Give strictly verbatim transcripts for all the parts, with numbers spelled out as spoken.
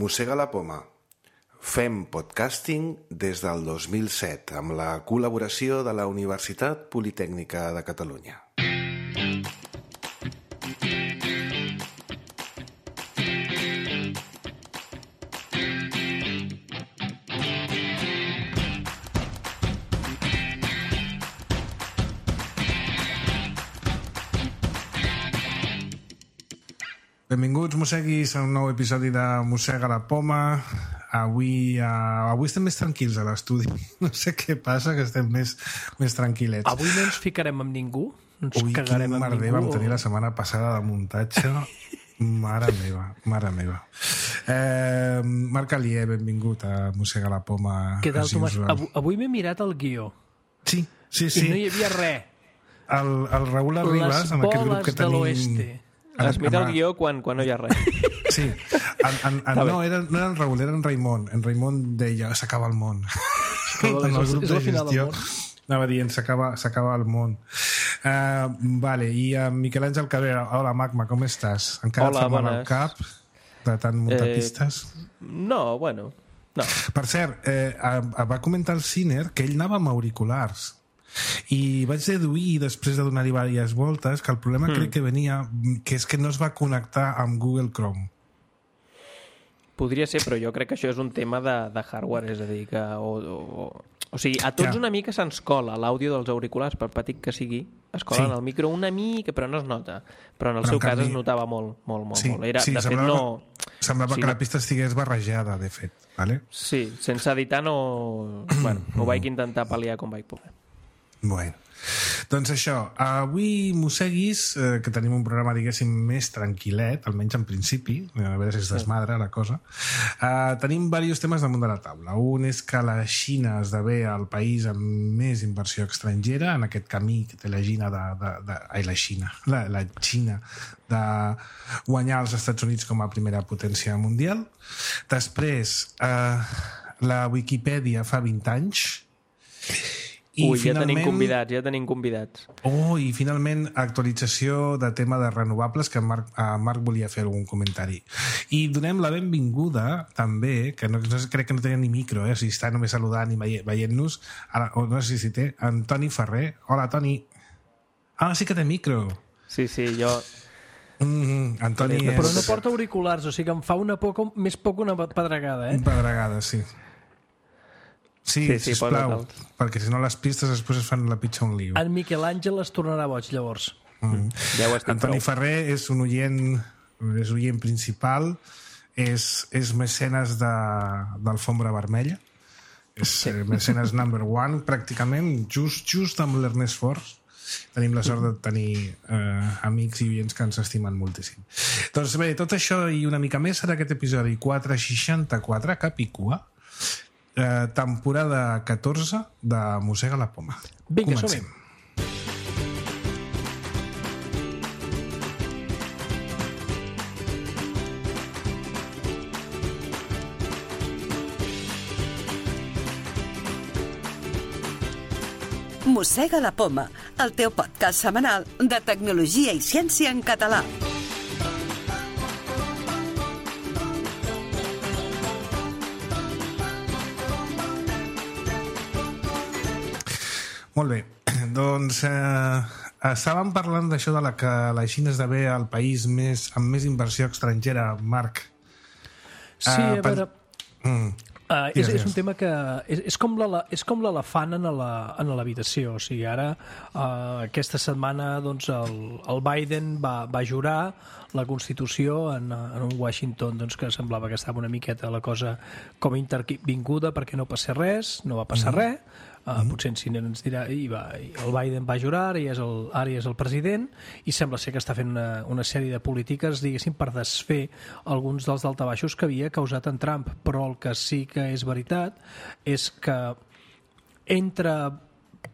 Mossega la poma. Fem podcasting des del dos mil set amb la col·laboració de la Universitat Politècnica de Catalunya. Benvinguts, mosseguis, a un nou episodi de Mossega la poma. Avui, uh, avui estem més tranquils a l'estudi. No sé què passa, que estem més, més tranquil·lets. Avui no ens ficarem amb ningú? Ens Ui, cagarem quin amb merder ningú? vam tenir la setmana passada de muntatge. Mare meva, mare meva. Eh, Marc Alier, benvingut a Mossega la poma. Què tal, as Tomàs? usual. Avui, avui m'he mirat el guió Sí, sí, i no sí. hi havia res. El, el Raül Arribas, Les en aquest grup que boles de tenim... l'oeste. Es mira el guió quan, quan no hi ha res. Sí, en, en, en, no, era, no era en Raül, era en Raimon. En Raimon deia, s'acaba el món. Acaba- En el és- grup és de la final del gestió món. anava dient, s'acaba s'acaba el món. Uh, vale, i uh, Miquel Àngel Cabrera, hola Magma, com estàs? Encara Hola, et fa mal al bones. cap de tant muntar Eh, pistes? No, bueno, no. Per cert, eh, uh, va comentar el Ciner que ell anava amb auriculars. I vaig deduir, després de donar-hi diverses voltes, que el problema mm. crec que venia, que és que no es va connectar amb Google Chrome. Podria ser, però jo crec que això és un tema de, de hardware, és a dir, que... O, o, o sigui, a tots Ja. una mica se'ns cola l'àudio dels auriculars, per petit que sigui, es cola Sí. en el micro una mica, però no es nota. Però en el Però seu en cas canvi- es notava molt, molt, molt. Sí, molt. Era, sí, de fet, semblava, no... semblava sí, que no- la pista estigués barrejada, de fet. Vale? Sí, sense editar no... bueno, ho vaig intentar pal·liar com vaig poder. Bueno, doncs això, avui, mosseguis, eh, que tenim un programa, diguéssim, més tranquil·let, almenys en principi, a veure si es desmadra la cosa, eh, tenim diversos temes damunt de la taula. Un és que la Xina esdevé el país amb més inversió estrangera en aquest camí que té la Xina de... de, de ai, la Xina, la, la Xina de guanyar els Estats Units com a primera potència mundial. Després, eh, la Wikipedia fa vint anys. I Ui, ja tenim finalment- convidats, ja tenim convidats. Oh, i finalment actualització de tema de renovables, que en Marc, eh, Marc volia fer algun comentari. I donem la benvinguda també, que no, no crec que no tenia ni micro, eh? O sigui, està només saludant i veient- veient-nos, ara, o no sé si té, en Toni Ferrer. Hola, Toni. Ah, sí que té micro. Sí, sí, jo... Mm, Antoni és... Però no porta auriculars, o sigui que em fa una por, com- més por que una pedregada, eh? Pedregada, sí. Sí, Sí, sí, sisplau, posa-te'l. perquè si no les pistes després es fan la pitja un lío. En Miquel Àngel es tornarà boig, llavors. Mm. Ja ho estic Antoni prou. Ferrer és un oient, és oient principal, és, és mecenes de, d'Alfombra Vermella, és sí. mecenes number one, pràcticament, just, just amb l'Ernest Force. Tenim la sort de tenir eh, amics i oients que ens estimen moltíssim. Doncs bé, tot això i una mica més serà aquest episodi quatre seixanta-quatre, Capicua, eh, temporada catorze de Mossega la poma. Vinga, Comencem. som-hi. Mossega la poma, el teu podcast setmanal de tecnologia i ciència en català. Molt bé, doncs eh, estàvem parlant d'això de la que la Xina esdevé el país més, amb més inversió estrangera, Marc. Sí, Eh, a pen- veure... Mm. Uh, és, Digues, és un digues. tema que és, és com l'ele- és com l'elefant en la- en l'habitació. O sigui, ara uh, aquesta setmana doncs, el, el Biden va, va jurar la Constitució en, en un Washington doncs, que semblava que estava una miqueta la cosa com intervinguda perquè no passés res, no va passar mm -hmm. res. Uh, mm. Potser en Cine ens dirà i va, i el Biden va jurar, ara ja és el, ara ja és el president i sembla ser que està fent una, una sèrie de polítiques, diguéssim, per desfer alguns dels daltabaixos que havia causat en Trump, però el que sí que és veritat és que entre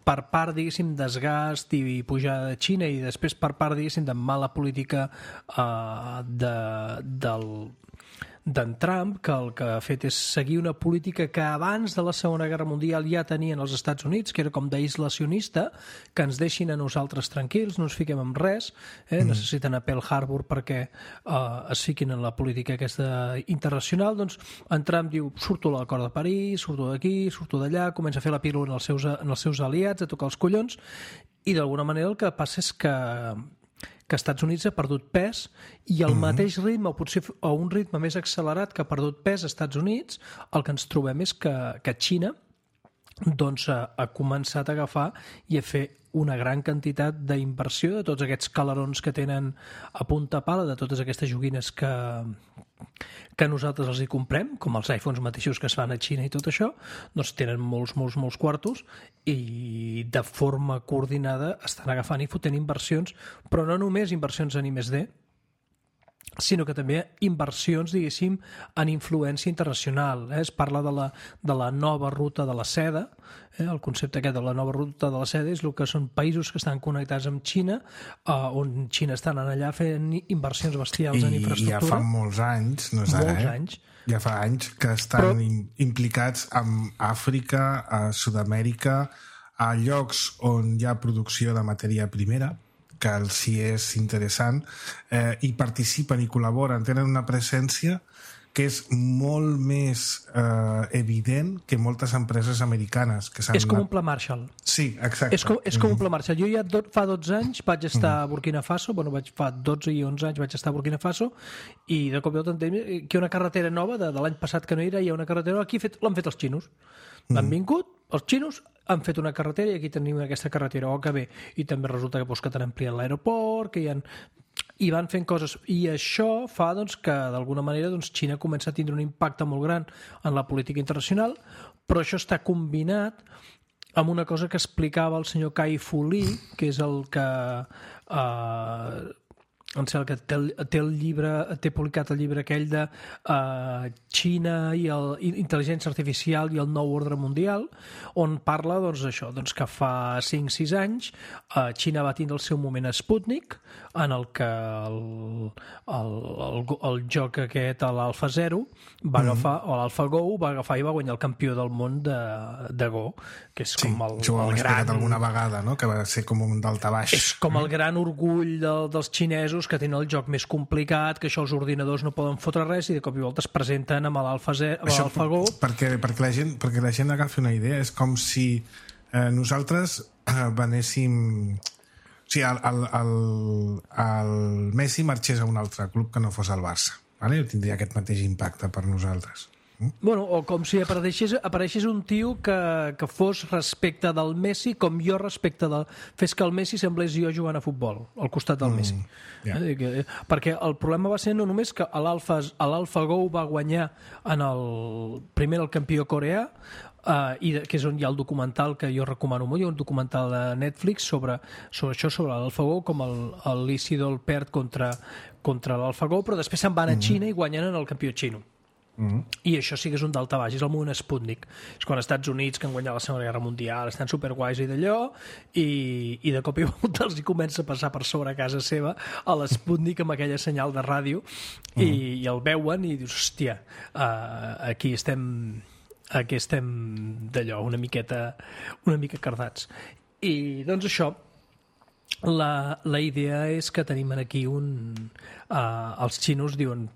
per part, diguéssim, desgast i pujada de Xina i després per part, diguéssim, de mala política uh, de, del d'en Trump, que el que ha fet és seguir una política que abans de la Segona Guerra Mundial ja tenien els Estats Units, que era com d'aislacionista, que ens deixin a nosaltres tranquils, no ens fiquem en res, eh? mm. necessiten a Pearl Harbor perquè eh, es fiquin en la política aquesta internacional. Doncs en Trump diu, surto a l'acord de París, surto d'aquí, surto d'allà, comença a fer la pílula en els seus, en els seus aliats, a tocar els collons, i d'alguna manera el que passa és que que Estats Units ha perdut pes i al mm-hmm. mateix ritme, o potser a un ritme més accelerat que ha perdut pes als Estats Units, el que ens trobem és que, que Xina doncs, ha, ha començat a agafar i a fer una gran quantitat d'inversió de tots aquests calerons que tenen a punta pala, de totes aquestes joguines que, que nosaltres els hi comprem, com els iPhones mateixos que es fan a Xina i tot això, doncs tenen molts, molts, molts quartos i de forma coordinada estan agafant i fotent inversions, però no només inversions en I més D, sinó que també inversions, diguéssim, en influència internacional. Eh? Es parla de la, de la nova ruta de la seda. Eh? El concepte aquest de la nova ruta de la seda és el que són països que estan connectats amb Xina, eh, on Xina estan allà fent inversions bestials I, en infraestructura. I ja fa molts anys, no és ara, molts eh? anys. Ja fa anys que estan Però... implicats amb Àfrica, a Sud-amèrica, a llocs on hi ha producció de matèria primera, que els sí és interessant, eh, i participen i col·laboren, tenen una presència que és molt més eh, evident que moltes empreses americanes que s'han És com anat... un pla Marshall. Sí, exacte. És com, és com mm. un pla Marshall. Jo ja do, fa dotze anys vaig estar mm. a Burkina Faso, bueno, vaig, fa dotze i onze anys vaig estar a Burkina Faso, i de cop i volta entenc que hi ha una carretera nova, de, de l'any passat que no era, hi ha una carretera nova, aquí fet, l'han fet els xinos. Mm. Han vingut, els xinos han fet una carretera i aquí tenim aquesta carretera, oh, que bé. I també resulta que, doncs, que t'han ampliat l'aeroport, que hi han... i van fent coses, i això fa doncs, que d'alguna manera doncs, Xina comença a tindre un impacte molt gran en la política internacional, però això està combinat amb una cosa que explicava el senyor Kai Fu Lee, que és el que eh, em sembla que té el, té el llibre, té publicat el llibre aquell de uh, Xina i el, intel·ligència artificial i el nou ordre mundial, on parla doncs, això, doncs, que fa cinc sis anys uh, Xina va tindre el seu moment Sputnik, en el que el, el, el, el joc aquest, l'Alpha Zero, va agafar, mm-hmm. o l'Alpha Go, va agafar i va guanyar el campió del món de, de Go, que és sí, com el, jo ho el he gran... explicat alguna vegada, no? Que va ser com un daltabaix. És com el gran orgull de, dels xinesos, que tenen el joc més complicat, que això els ordinadors no poden fotre res, i de cop i volta es presenten amb l'Alpha Go. Perquè, perquè, la gent, perquè la gent agafi una idea, és com si eh, nosaltres eh, venéssim... O sigui, el, el, el, el Messi marxés a un altre club que no fos el Barça. Vale? Tindria aquest mateix impacte per nosaltres. Bueno, o com si apareixés, apareixés un tio que, que fos respecte del Messi com jo respecte del... Fes que el Messi semblés jo jugant a futbol al costat del mm, Messi. Yeah. Eh, perquè el problema va ser no només que l'Alpha Go va guanyar en el, primer el campió coreà, Uh, i de, que és on hi ha el documental que jo recomano molt, hi ha un documental de Netflix sobre, sobre això, sobre l'AlphaGo, com el, el Lee Sedol perd contra, contra l'AlphaGo, però després se'n van a Xina mm-hmm. i guanyen en el campió xino. Mm-hmm. I això sí que és un daltabaix, és el moment Sputnik. És quan els Estats Units, que han guanyat la Segona Guerra Mundial, estan superguais i d'allò, i, i de cop i volta els hi comença a passar per sobre a casa seva a l'Sputnik amb aquella senyal de ràdio, mm-hmm. i, i el veuen i dius, hòstia, uh, aquí estem... aquí estem d'allò, una miqueta una mica cardats. I doncs això, la, la idea és que tenim aquí un... Uh, els xinos diuen,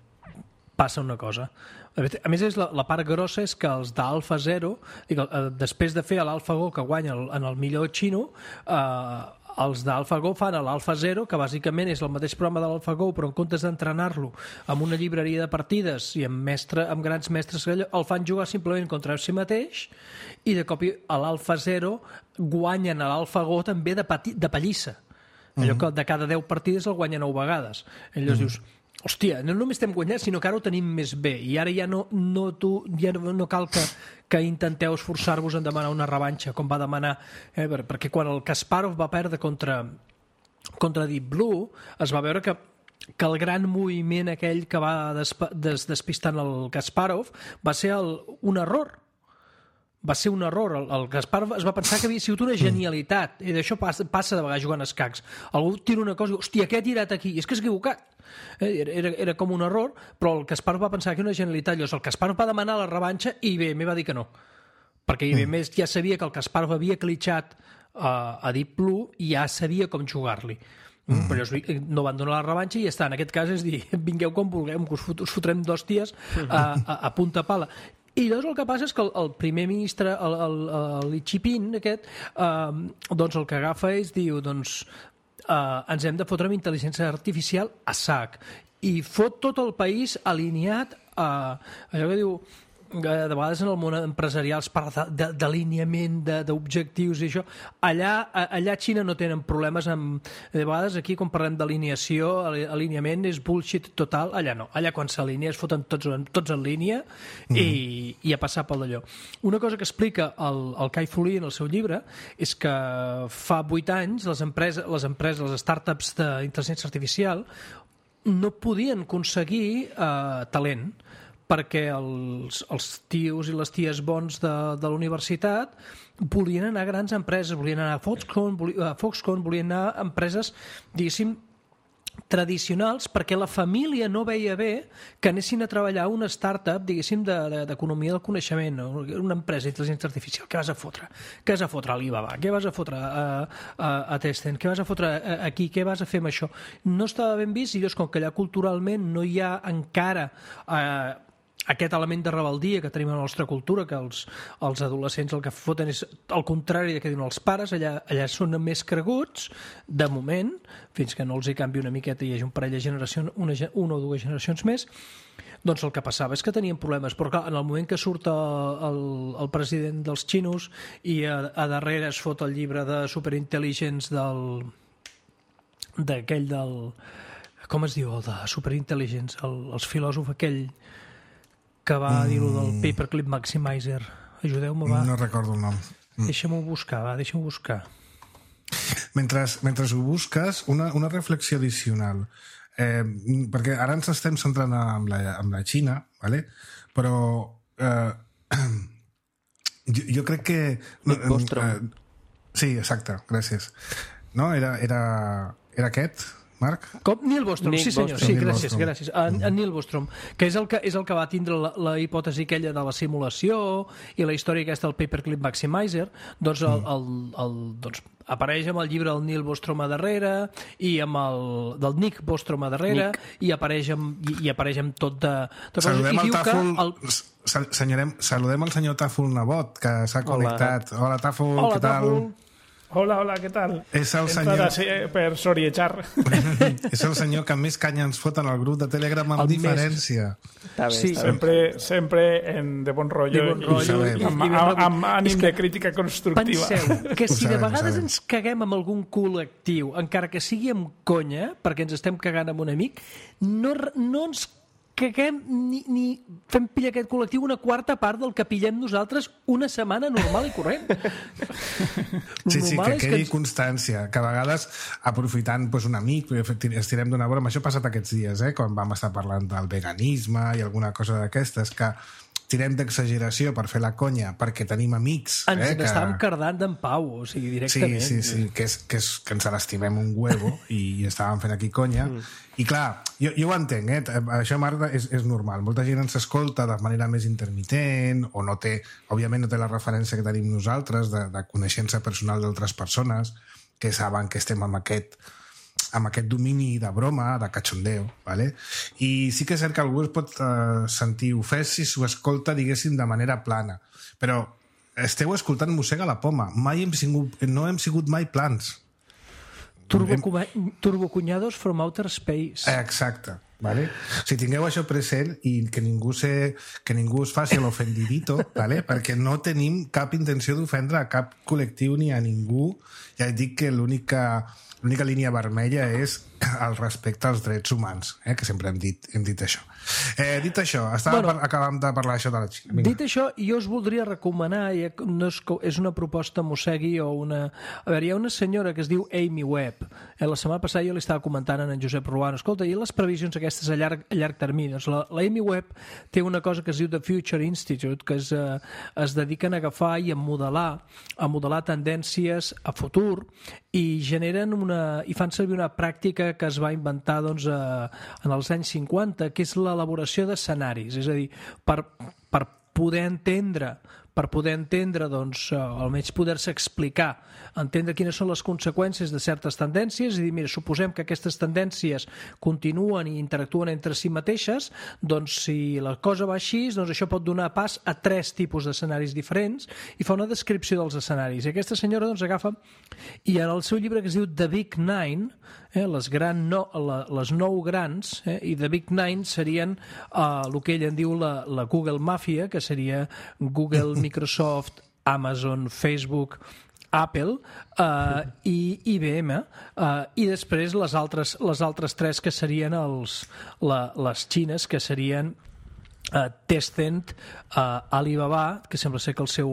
passa una cosa. A més, és la, la part grossa és que els d'Alpha Zero, dic, uh, després de fer l'AlphaGo que guanya el, en el millor xino, uh, els d'AlphaGo fan l'Alpha Zero, que bàsicament és el mateix programa de l'AlphaGo, però en comptes d'entrenar-lo amb una llibreria de partides i amb, mestre, amb grans mestres, el fan jugar simplement contra si mateix, i de cop a l'Alpha Zero guanyen a l'AlphaGo també de, pati, de pallissa. Allò que de cada deu partides el guanya nou vegades. I llavors dius, hòstia, no només estem guanyant, sinó que ara ho tenim més bé, i ara ja no, no, tu, ja no, no cal que, que intenteu esforçar-vos en demanar una revanxa, com va demanar, eh, perquè quan el Kasparov va perdre contra, contra Deep Blue, es va veure que que el gran moviment aquell que va desp des, despistant el Kasparov va ser el, un error. va ser un error. El, el Gaspar es va pensar que havia sigut una genialitat, i d'això passa, passa de vegades jugant a escacs. Algú tira una cosa i diu, hòstia, què ha tirat aquí? I és que és equivocat. Era, era, era com un error, però el Gaspar va pensar que era una genialitat. Llavors el Gaspar va demanar la revanxa i I B M va dir que no, perquè I B M ja sabia que el Gaspar havia clitxat uh, a Deep Blue i ja sabia com jugar-li. Mm. Però no van donar la revanxa i ja està. En aquest cas és dir, vingueu com vulguem, que us, fot, us fotrem d'hòsties a, a, a punta pala. I llavors el que passa és que el, el primer ministre, el, el, el Li Chipin, aquest, eh, doncs el que agafa és, diu, doncs, eh, ens hem de fotre amb intel·ligència artificial a sac. I fot tot el país alineat a allò que diu, de vegades en el món empresarial es parla d'alineament, d'objectius i això. Allà, allà a Xina no tenen problemes amb... De vegades aquí, quan parlem d'alineació, alineament és bullshit total. Allà no. Allà quan s'alinea es foten tots, tots en línia i, i a passar pel d'allò. Una cosa que explica el, el Kai Fu Lee en el seu llibre és que fa vuit anys les empreses, les, empreses, les startups d'intel·ligència artificial no podien aconseguir eh, talent, perquè els, els tios i les ties bons de, de la universitat volien anar a grans empreses, volien anar a Foxconn, volien, a Foxconn, volien anar a empreses, diguéssim, tradicionals, perquè la família no veia bé que anessin a treballar a una startup, diguéssim, d'economia de, del coneixement, una empresa d'intel·ligència artificial. Què vas a fotre? Què vas a fotre a Alibaba? Què vas a fotre a, a, a Tencent? Què vas a fotre aquí? Què vas a fer amb això? No estava ben vist i llavors, com que allà culturalment no hi ha encara... Eh, aquest element de rebeldia que tenim a la nostra cultura, que els, els adolescents el que foten és el contrari de que diuen els pares, allà, allà són més creguts, de moment, fins que no els hi canvi una miqueta i hi hagi un parell de generacions, una, una o dues generacions més, doncs el que passava és que tenien problemes. Però clar, en el moment que surt el, el president dels xinos i a, a darrere es fot el llibre de Superintel·ligents del d'aquell del... Com es diu, el de Superintel·ligents? El, els filòsof aquell... que va mm. dir-ho del Paperclip Maximizer. Ajudeu-me, va. No recordo el nom. Mm. Deixa'm-ho buscar, va, deixa'm-ho buscar. Mentre, mentre ho busques, una, una reflexió addicional. Eh, perquè ara ens estem centrant en la, en la Xina, ¿vale? Però eh, jo, jo crec que... Nick Bostrom. Eh, sí, exacte, gràcies. No, era, era, era aquest... Marc? Com? Neil Bostrom, Nick sí senyor, Bostrom. sí, Neil gràcies, Bostrom. gràcies. En, en Neil Bostrom, que és el que, és el que va tindre la, la hipòtesi aquella de la simulació i la història aquesta del Paperclip Maximizer, doncs, el, el, el, doncs apareix amb el llibre del Neil Bostrom a darrere i amb el del Nick Bostrom a darrere Nick. i apareix amb, i, i apareix amb tot de... Tot saludem i el Tàfol, el... senyorem, saludem el senyor Tàfol Nebot, que s'ha connectat. Hola, Tàfol, Hola, què tal? Tàfol. Hola, hola, què tal? És el Entrada senyor... per soriejar. És el senyor que més canya ens fot en el grup de Telegram amb El diferència. Està bé, Sí. està bé. Sempre, sempre en de bon rotllo, De bon i- rotllo i, i- amb, i ben amb, rebut. amb ànim És que de crítica constructiva. Penseu que Ho si de sabem, ho vegades sabem. ens caguem amb algun col·lectiu, encara que sigui amb conya, perquè ens estem cagant amb un amic, no, no ens caguem ni, ni fem pillar aquest col·lectiu una quarta part del que pillem nosaltres una setmana normal i corrent. Sí, sí, Normal que és quedi ens- constància, que a vegades aprofitant doncs, un amic, estirem d'una broma, això ha passat aquests dies, eh, quan vam estar parlant del veganisme i alguna cosa d'aquestes, que tirem d'exageració per fer la conya perquè tenim amics. Ens eh, que... n'estàvem cardant d'en Pau, o sigui, Sí, directament. sí, sí, que, és, que, és, que ens l'estimem un huevo i estàvem fent aquí conya. Mm. I clar, jo, jo ho entenc, eh? Això, Marta, és, és normal. Molta gent ens escolta de manera més intermitent o no té, òbviament no té la referència que tenim nosaltres de, de coneixença personal d'altres persones que saben que estem amb aquest amb aquest domini de broma, de cachondeo, ¿vale? I sí que és cert que algú es pot uh, sentir ofès si s'ho escolta, diguéssim, de manera plana. Però esteu escoltant Mossega la Poma. Mai hem sigut, no hem sigut mai plans. Turbo, Hem... Turbocunyados from Outer Space. Eh, Exacte. Vale? Si tingueu això present i que ningú, se, que ningú es faci l'ofendidito, vale? Perquè no tenim cap intenció d'ofendre a cap col·lectiu ni a ningú. Ja et dic que l'únic que l'única línia vermella és el respecte als drets humans, eh? que sempre hem dit, hem dit això. Eh, dit això, estàvem Bueno, bueno, acabant de parlar això de la Xina. Vinga. Dit això, jo us voldria recomanar, ja que no és, co- és una proposta mossegui o una... A veure, hi ha una senyora que es diu Amy Webb. Eh, la setmana passada jo li estava comentant a en Josep Ruano, escolta, i les previsions aquestes a llarg, a llarg termini? Doncs la, la Amy Webb té una cosa que es diu The Future Institute, que es, eh, es dediquen a agafar i a modelar, a modelar tendències a futur i generen una... i fan servir una pràctica que es va inventar doncs, eh, en els anys cinquanta, que és l'elaboració d'escenaris, és a dir, per, per poder entendre per poder entendre, doncs, eh, almenys poder-se explicar, entendre quines són les conseqüències de certes tendències i dir, mira, suposem que aquestes tendències continuen i interactuen entre si mateixes, doncs si la cosa va així, doncs això pot donar pas a tres tipus d'escenaris diferents i fa una descripció dels escenaris. I aquesta senyora doncs agafa i en el seu llibre que es diu The Big Nine, eh, les, gran no, la, les nou grans, eh, i The Big Nine serien eh, el que ell en diu la, la Google Mafia, que seria Google, Microsoft, Amazon, Facebook, Apple eh, i I B M, eh, i després les altres, les altres tres que serien els, la, les xines, que serien Uh, Tencent, uh, Alibaba, que sembla ser que el seu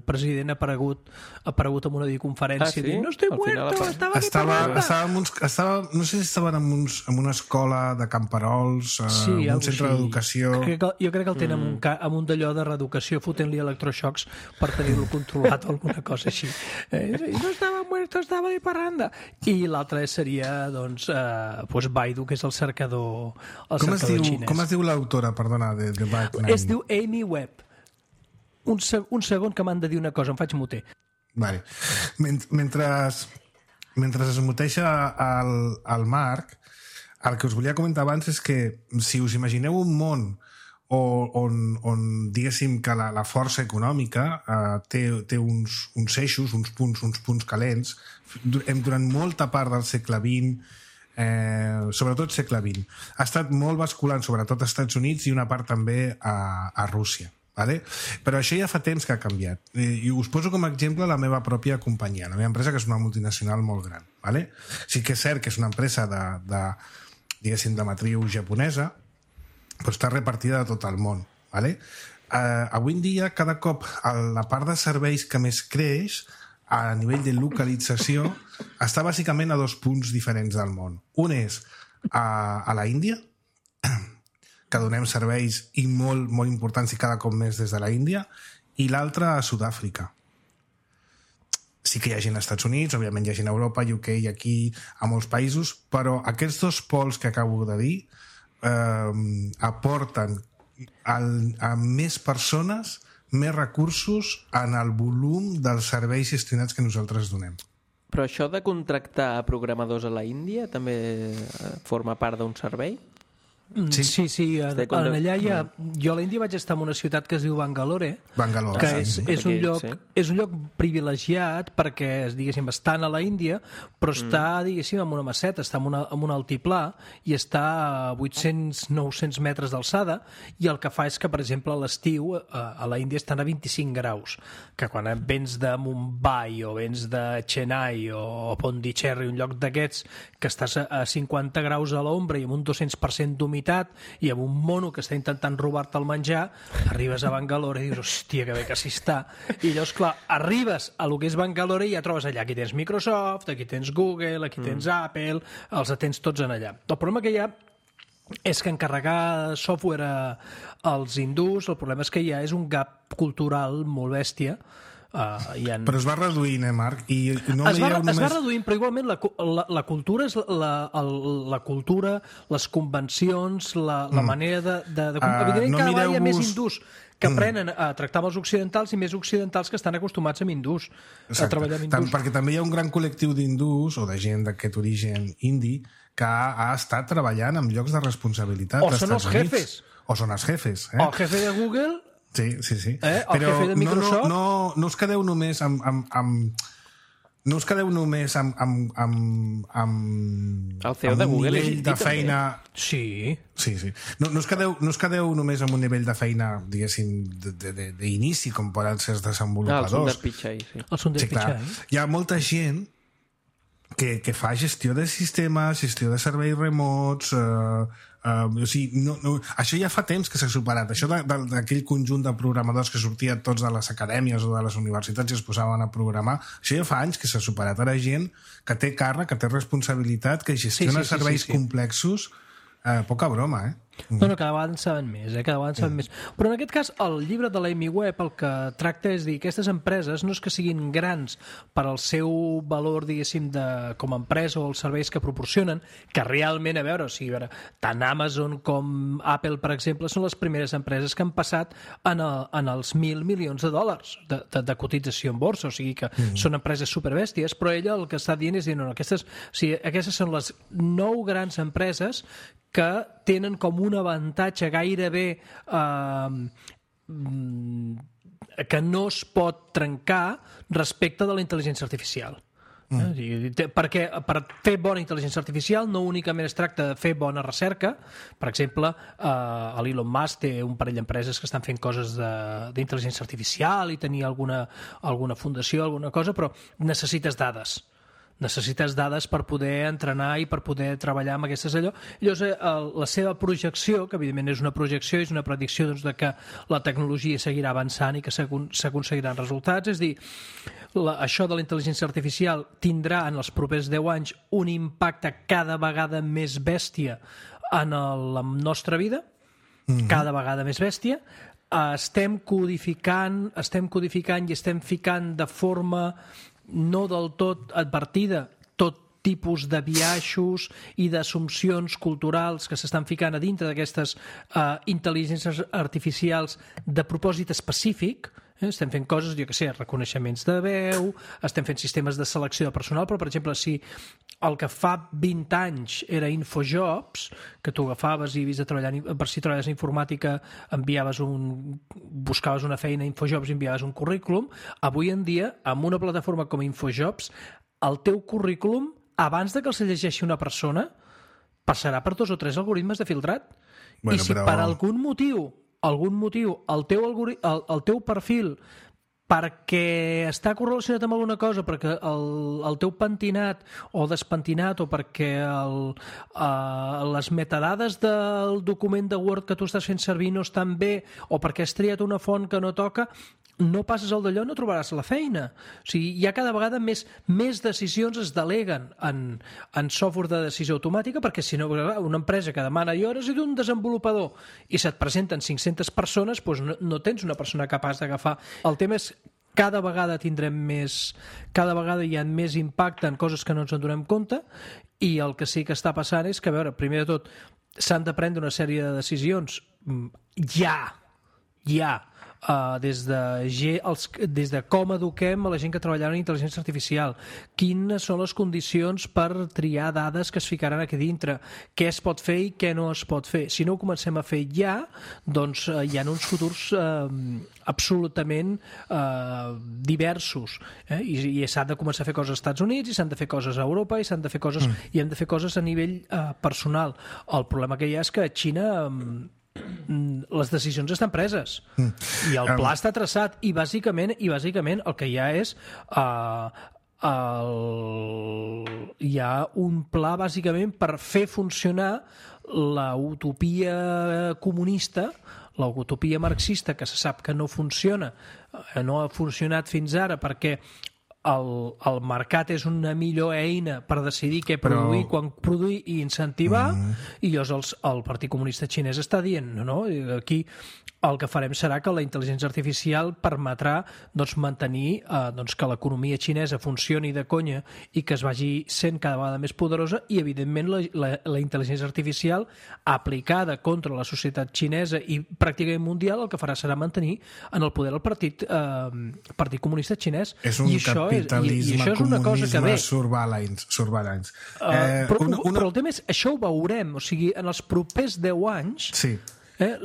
president ha aparegut, ha aparegut en una videoconferència Ah, sí? dient, no estoy Al final muerto, apa- estava aquí Estava, parlant. estava, en uns, estava, no sé si estaven en, uns, en una escola de camperols, eh, Sí, un algo centre així. d'educació... Crec que, jo crec que el tenen mm. amb, un, ca- amb un d'allò de reeducació, fotent-li electroxocs per tenir-lo controlat o alguna cosa així. Eh, i no estava muerto, estava de parranda. I l'altre seria, doncs, eh, pues Baidu, que és el cercador, el Com es, cercador diu, xinès. com es diu l'autora, perdona, de, de Bad Nine? Es diu Amy Webb. Un, se un segon que m'han de dir una cosa, em faig muter. Vale. Ment mentre, mentre es muteixa el, el Marc, el que us volia comentar abans és que si us imagineu un món o, on, on diguéssim que la, la força econòmica eh, té, té uns, uns eixos, uns punts, uns punts calents, hem, durant molta part del segle vint, eh, sobretot segle vint, ha estat molt basculant, sobretot als Estats Units i una part també a, a Rússia. Vale? Però això ja fa temps que ha canviat. I us poso com a exemple la meva pròpia companyia, la meva empresa, que és una multinacional molt gran. Vale? Sí que és cert que és una empresa de, de, diguéssim, de matriu japonesa, però està repartida a tot el món. Vale? Uh, avui en dia, cada cop la part de serveis que més creix a nivell de localització està bàsicament a dos punts diferents del món. Un és a, a la Índia, que donem serveis i molt, molt importants i cada cop més des de la Índia, i l'altre a Sud-àfrica. Sí que hi ha gent als Estats Units, òbviament hi ha gent a Europa, U K i aquí, a molts països, però aquests dos pols que acabo de dir eh, aporten al, a més persones, més recursos en el volum dels serveis gestionats que nosaltres donem. Però això de contractar programadors a la Índia també eh, forma part d'un servei? Sí, sí, sí en, Estic content. en allà hi ha... Jo a l'Índia vaig estar en una ciutat que es diu Bangalore, Bangalore, que sí. és, és, un Aquí, lloc, sí. és un lloc privilegiat perquè, diguéssim, estan a la Índia, però està, diguéssim, en una maceta, està en, una, en un altiplà i està a vuit-cents a nou-cents metres d'alçada, i el que fa és que, per exemple, a l'estiu a, a la Índia estan a vint-i-cinc graus, que quan vens de Mumbai o vens de Chennai o Pondicherry, un lloc d'aquests, que estàs a, a cinquanta graus a l'ombra i amb un dos-cents per cent d'humitat i amb un mono que està intentant robar-te el menjar, arribes a Bangalore i dius, hòstia, que bé que s'hi està. I llavors, clar, arribes a lo que és Bangalore i ja trobes allà. Aquí tens Microsoft, aquí tens Google, aquí tens mm. Apple, els atens tots en allà. El problema que hi ha és que encarregar software a, als hindús, el problema és que hi ha és un gap cultural molt bèstia. Uh, ha... Però es va reduint, eh, Marc? I no es, va, només... es va reduint, però igualment la, la, la cultura és la, el, la cultura, les convencions, la, la mm. manera de... de, de... Uh, Evidentment, no cada vegada hi ha més mireu-vos- hindús que Mm. aprenen a tractar amb els occidentals i més occidentals que estan acostumats amb hindús, a treballar amb Tant, hindús. perquè també hi ha un gran col·lectiu d'hindús o de gent d'aquest origen indi que ha, ha estat treballant en llocs de responsabilitat. O als són els Estats Units. jefes. O són els jefes. Eh? El jefe de Google... Sí, sí, sí. Eh? El Però jefe de no, Microsoft. no, no, no us quedeu només amb... amb, amb no us quedeu només amb, amb, amb, amb, El C E O amb de un Google és nivell indi, de també. feina... Sí. Sí, sí. No, no, us quedeu, no us quedeu només amb un nivell de feina, diguéssim, d'inici, com poden ser els Ah, el desenvolupadors. Sundar Pichai, sí. El Sundar Sí, clar. Pichai. Hi ha molta gent que, que fa gestió de sistemes, gestió de serveis remots... Eh, Uh, o sigui, no, no, això ja fa temps que s'ha superat. Això d'aquell conjunt de programadors que sortien tots de les acadèmies o de les universitats i es posaven a programar, això ja fa anys que s'ha superat. Ara gent que té càrrec, que té responsabilitat, que gestiona sí, sí, sí, serveis sí, sí. complexos. Uh, poca broma, eh? No, no, cada vegada en saben més, eh? Cada vegada en saben mm. més. Però en aquest cas, el llibre de l'Amy Webb el que tracta és dir que aquestes empreses no és que siguin grans per al seu valor, diguéssim, de, com a empresa o els serveis que proporcionen, que realment, a veure, o sigui, a veure, tant Amazon com Apple, per exemple, són les primeres empreses que han passat en, el, en els mil milions de dòlars de, de, de cotització en borsa, o sigui que mm. són empreses superbèsties, però ella el que està dient és dir, no, no, aquestes, o sigui, aquestes són les nou grans empreses que tenen com un avantatge gairebé eh, que no es pot trencar respecte de la intel·ligència artificial. Mm. Eh? Perquè per fer bona intel·ligència artificial no únicament es tracta de fer bona recerca. Per exemple, eh, l'Elon Musk té un parell d'empreses que estan fent coses d'intel·ligència artificial i tenir alguna, alguna fundació, alguna cosa, però necessites dades. Necessites dades per poder entrenar i per poder treballar amb aquestes allò. Llavors, la seva projecció, que evidentment és una projecció, és una predicció doncs, de que la tecnologia seguirà avançant i que s'aconseguiran resultats, és dir, la, això de la intel·ligència artificial tindrà en els propers deu anys un impacte cada vegada més bèstia en la nostra vida, mm-hmm. cada vegada més bèstia. Estem codificant, estem codificant i estem ficant de forma no del tot advertida tot tipus de biaixos i d'assumpcions culturals que s'estan ficant a dintre d'aquestes uh, intel·ligències artificials de propòsit específic. Eh? Estem fent coses, jo què sé, reconeixements de veu, estem fent sistemes de selecció de personal, però, per exemple, si el que fa vint anys era Infojobs, que tu agafaves i havies de treballar, per si treballes en informàtica, enviaves un, buscaves una feina a Infojobs i enviaves un currículum, avui en dia, amb una plataforma com Infojobs, el teu currículum, abans de que el se llegeixi una persona, passarà per dos o tres algoritmes de filtrat. Bueno, I si però... per algun motiu, algun motiu, el teu, algori... el, el teu perfil perquè està correlacionat amb alguna cosa, perquè el, el teu pentinat o despentinat o perquè el, uh, les metadades del document de Word que tu estàs fent servir no estan bé o perquè has triat una font que no toca, no passes el d'allò, no trobaràs la feina. O sigui, hi ha cada vegada més, més decisions es deleguen en, en software de decisió automàtica, perquè si no, una empresa que demana hores i d'un desenvolupador i se't presenten cinc-centes persones, doncs no, no tens una persona capaç d'agafar. El tema és cada vegada tindrem més, cada vegada hi ha més impacte en coses que no ens en donem compte, i el que sí que està passant és que, a veure, primer de tot, s'han de prendre una sèrie de decisions ja, ja, Uh, des, de, els, des de com eduquem a la gent que treballarà en intel·ligència artificial, quines són les condicions per triar dades que es ficaran aquí dintre, què es pot fer i què no es pot fer. Si no ho comencem a fer ja, doncs uh, hi ha uns futurs uh, absolutament uh, diversos, eh? I, i s'han de començar a fer coses als Estats Units i s'han de fer coses a Europa i s'han de fer coses mm. i hem de fer coses a nivell uh, personal. El problema que hi ha és que a Xina um, les decisions estan preses mm. i el pla um. està traçat i bàsicament, i bàsicament el que hi ha és uh, el... hi ha un pla bàsicament per fer funcionar la utopia comunista, la utopia marxista, que se sap que no funciona, no ha funcionat fins ara perquè El, el mercat és una millor eina per decidir què produir, Però... quan produir i incentivar, mm. i llavors el, el Partit Comunista Xinès està dient, no, no? Aquí el que farem serà que la intel·ligència artificial permetrà doncs, mantenir eh, doncs, que l'economia xinesa funcioni de conya i que es vagi sent cada vegada més poderosa, i evidentment la, la, la intel·ligència artificial aplicada contra la societat xinesa i pràcticament mundial el que farà serà mantenir en el poder el Partit, eh, Partit Comunista Xinès. És un I això capitalisme, és, i, i això és una cosa que ve. surveillance. surveillance. Uh, eh, però, una, una... però el tema és, això ho veurem, o sigui, en els propers deu anys... Sí. Eh,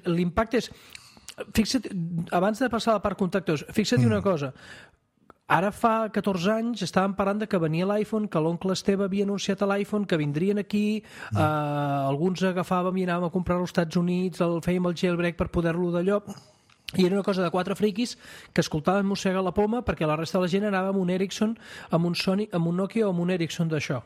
l'impacte és... Fixa't, abans de passar a la part contactors, fixa't mm. una cosa. Ara fa catorze anys estàvem parlant de que venia l'iPhone, que l'oncle Esteve havia anunciat a l'iPhone, que vindrien aquí, mm. eh, alguns agafàvem i anàvem a comprar-lo als Estats Units, el fèiem el jailbreak per poder-lo d'allò... i era una cosa de quatre friquis que escoltaven Mossegar la Poma perquè la resta de la gent anava amb un Ericsson, amb un Sony, amb un Nokia o amb un Ericsson d'això.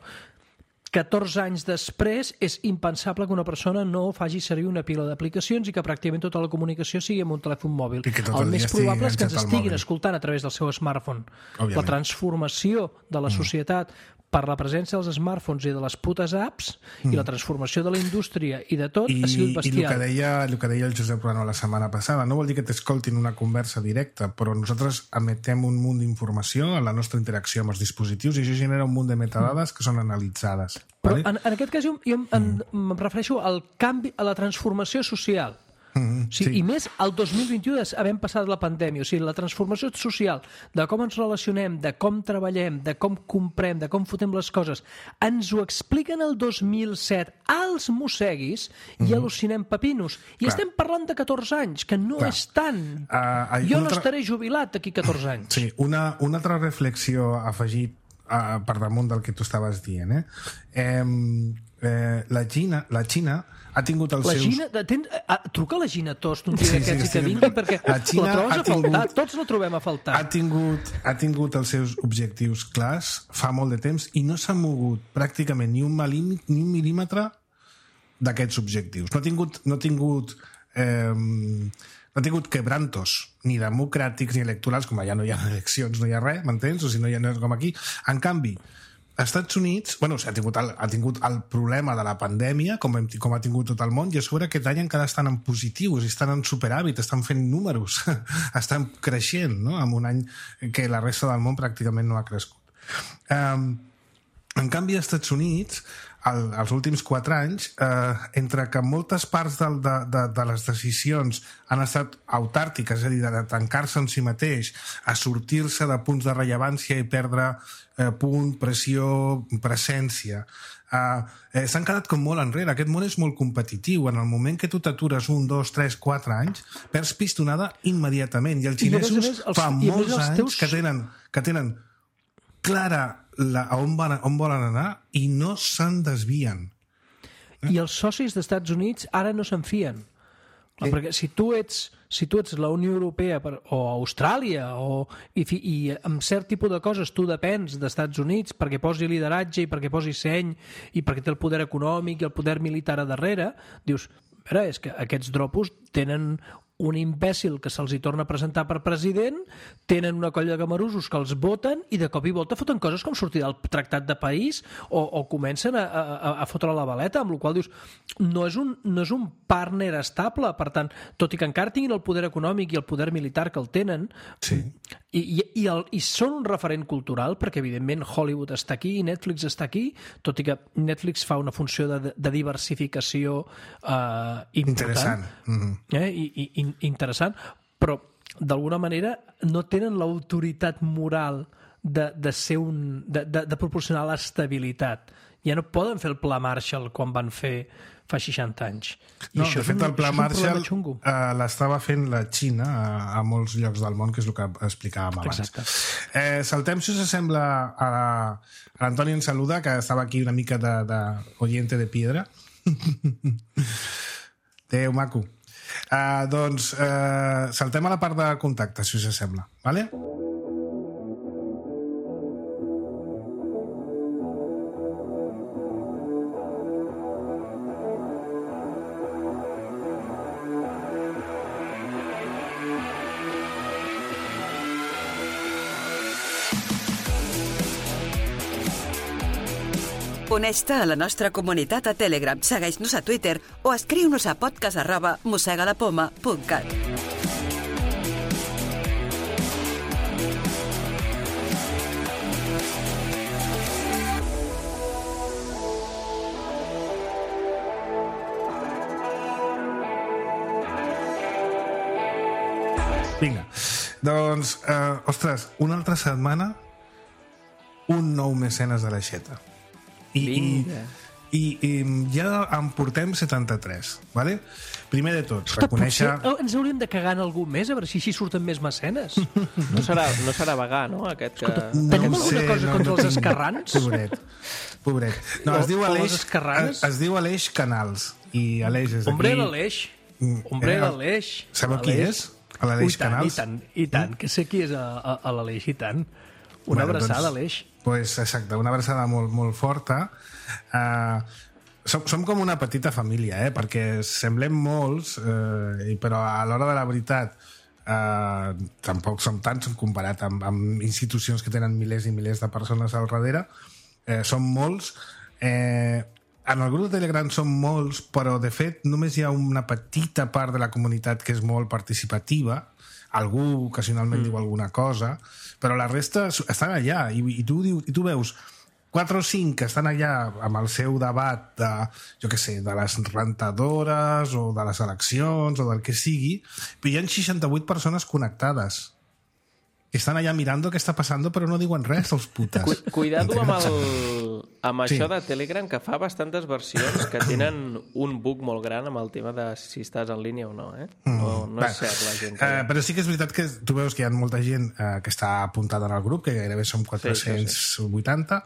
catorze anys després és impensable que una persona no faci servir una pila d'aplicacions i que pràcticament tota la comunicació sigui amb un telèfon mòbil. El més probable és que ens estiguin escoltant a través del seu smartphone. Òbviament. La transformació de la societat per la presència dels smartphones i de les putes apps mm. i la transformació de la indústria i de tot I, ha sigut bestial. I el que, deia, el que deia el Josep Ruano la setmana passada, no vol dir que t'escoltin una conversa directa, però nosaltres emetem un munt d'informació en la nostra interacció amb els dispositius i això genera un munt de metadades que són analitzades. Però vale? en, en aquest cas jo, jo em, mm. em refereixo al canvi, a la transformació social. Mm, o sigui, sí. I més el dos mil vint-i-u havent passat la pandèmia, o sigui, la transformació social de com ens relacionem, de com treballem, de com comprem, de com fotem les coses, ens ho expliquen el dos mil set als mosseguis i mm. al·lucinem pepinos. I Clar. estem parlant de catorze anys, que no Clar. és tant. Uh, jo no altra... estaré jubilat d'aquí catorze anys. Sí, una, una altra reflexió afegit uh, per damunt del que tu estaves dient. Eh? Eh, eh, la Xina, la Xina ha tingut els la seus... Gina, ten, a, truca la Gina Tost un dia Sí, sí, d'aquests sí, i que sí. vingui perquè La la, Xina trobes ha a faltar, tingut- tots la trobem a faltar. ha tingut, ha tingut els seus objectius clars fa molt de temps i no s'ha mogut pràcticament ni un, malí, ni un mil·límetre d'aquests objectius. No ha tingut, no ha tingut, eh, no ha tingut quebrantos ni democràtics ni electorals, com allà no hi ha eleccions, no hi ha res, m'entens? O sigui, no hi ha res com aquí. En canvi, als Estats Units, bueno, ha tingut, el, ha tingut el problema de la pandèmia, com, hem, com ha tingut tot el món, i a sobre aquest any encara estan en positius, estan en superàvit, estan fent números, estan creixent, no? En un any que la resta del món pràcticament no ha crescut. Um, en canvi, als Estats Units, el, els últims quatre anys, eh, entre que moltes parts de, de, de, de les decisions han estat autàrtiques, és a dir, de tancar-se en si mateix, a sortir-se de punts de rellevància i perdre eh, punt, pressió, presència, eh, eh, s'han quedat com molt enrere. Aquest món és molt competitiu. En el moment que tu t'atures un, dos, tres, quatre anys, perds pistonada immediatament. I els I a més a xinesos més, els- fa i a més molts els anys teus- que tenen, que tenen clara la, a on, van, on volen anar i no se'n desvien. I els socis dels Estats Units ara no se'n fien. Eh? Perquè si tu ets, si tu ets la Unió Europea per, o Austràlia o, i, fi- i amb cert tipus de coses tu depens dels Estats Units perquè posi lideratge i perquè posi seny i perquè té el poder econòmic i el poder militar a darrere, dius, a veure, és que aquests dropos tenen un imbècil que se'ls hi torna a presentar per president, tenen una colla de gamarusos que els voten i de cop i volta foten coses com sortir del tractat de país o, o comencen a, a, a fotre la baleta, amb la qual dius, no és, un, no és un partner estable, per tant, tot i que encara tinguin el poder econòmic i el poder militar que el tenen, Sí. i, i, i, el, i són un referent cultural, perquè evidentment Hollywood està aquí i Netflix està aquí, tot i que Netflix fa una funció de, de diversificació eh, important. Interessant. Mm-hmm. Eh? I, i, i interessant, però d'alguna manera no tenen l'autoritat moral de, de, ser un, de, de, de proporcionar l'estabilitat. Ja no poden fer el pla Marshall quan van fer fa seixanta anys. I No, això de és fet, un, el pla això és un Marshall problema xungo. eh, l'estava fent la Xina a, a molts llocs del món, que és el que explicàvem abans. Exacte. Eh, saltem, si us sembla, a, a l'Antoni en Saluda, que estava aquí una mica de, de oyente de piedra. Adéu, maco. Uh, doncs uh, saltem a la part de contacte, si us sembla, vale? Uneix-te a la nostra comunitat a Telegram, segueix-nos a Twitter o escriu-nos a podcast arroba mossegalapoma punt cat. Vinga, doncs, eh, ostres, una altra setmana, un nou mecenes de l'aixeta. I, i, Vinga. i, i ja en portem setanta-tres, vale? Primer de tot, Escolta, reconèixer... potser ens hauríem de cagar en algú més, a veure si així surten més mecenes. No serà, no serà vegà, no? Aquest que... Tenim ho alguna cosa contra els tinc. esquerrans? Pobret, pobret. No, O- es diu o Aleix, les esquerranes? es, es diu Aleix Canals, i Aleix és d'aquí... Hombre de l'Eix. Mm, Hombre eh, de l'Eix. Sabeu qui és? A l'Aleix Ui, tant, Canals. I tant, i tant, que sé qui és a, a, a l'Aleix, i tant. Una Bueno, abraçada, doncs, Aleix. Pues, exacte, una abraçada molt, molt forta. Uh, som, som com una petita família, eh? Perquè semblem molts, eh, però a l'hora de la veritat uh, tampoc som tants comparat amb, amb institucions que tenen milers i milers de persones al darrere. Eh, som molts. Eh, en el grup de Telegram som molts, però de fet només hi ha una petita part de la comunitat que és molt participativa. Algú ocasionalment mm. diu alguna cosa, però la resta estan allà i, i, tu, diu, i tu veus quatre o cinc que estan allà amb el seu debat de, jo què sé, de les rentadores o de les eleccions o del que sigui, però hi ha seixanta-vuit persones connectades que estan allà mirando què està passant però no diuen res, els putes. Cu cuidado amb, el, amb Sí. això de Telegram, que fa bastantes versions que tenen un bug molt gran amb el tema de si estàs en línia o no, eh? No, no és cert, la gent. Que... Uh, però sí que és veritat que tu veus que hi ha molta gent uh, que està apuntada en el grup, que gairebé són quatre-cents vuitanta,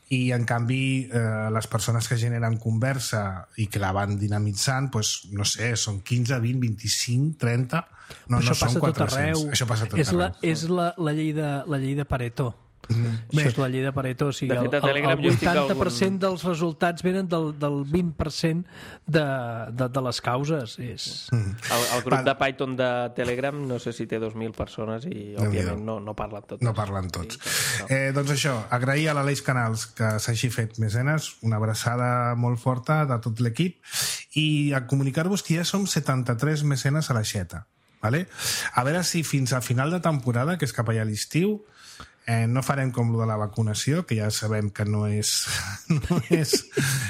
i en canvi eh, les persones que generen conversa i que la van dinamitzant, pues, no sé, són quinze, vint, vint-i-cinc, trenta... No, això no són passa tot quatre-cents. arreu. Això passa tot és la, arreu. és la, la, llei de, la llei de Pareto. Mm. Això Bé, és la llei de Pareto. O sigui, De el, fet, a el, Telegram el jo estic vuitanta per cent algun- dels resultats venen del, del vint per cent de, de, de les causes. És... Mm. El, el grup Val. de Python de Telegram no sé si té dos mil persones i, òbviament, no, no parlen tots. no parlen tots. Sí, no. Eh, doncs això, agrair a l'Aleix Canals que s'hagi fet mecenes, una abraçada molt forta de tot l'equip, i a comunicar-vos que ja som setanta-tres mecenes a l'aixeta. Vale? A veure si fins a final de temporada, que és cap allà a l'estiu, eh, no farem com lo de la vacunació, que ja sabem que no és, no és,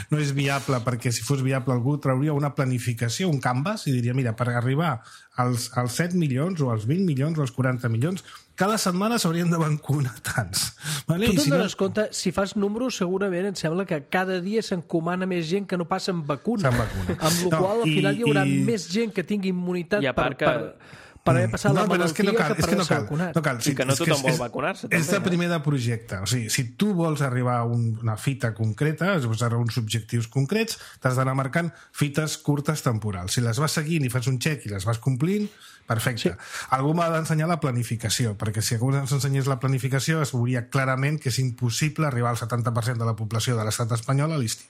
no és viable, perquè si fos viable algú trauria una planificació, un canvas, i diria, mira, per arribar als, als set milions o als vint milions o als quaranta milions, cada setmana s'haurien de vacunar tants. Vale? Tu I te'n si no, dones compte, si fas números, segurament em sembla que cada dia s'encomana més gent que no passa amb vacuna. Se'n vacuna. Amb la No, qual al i- final hi haurà i- més gent que tingui immunitat I a per, part que- per, per haver passat la no, però és malaltia que no cal, que és per que no haver-se cal, vacunat. no cal. I que no és tothom és- vol és- vacunar-se, És també, de eh? primer de projecte. O sigui, si tu vols arribar a un, una fita concreta, vols arribar a uns objectius concrets, t'has d'anar marcant fites curtes temporals. Si les vas seguint i fas un xec i les vas complint, perfecte. Sí. Algú m'ha d'ensenyar la planificació, perquè si algú ens ensenyés la planificació es veuria clarament que és impossible arribar al setanta per cent de la població de l'estat espanyol a l'estiu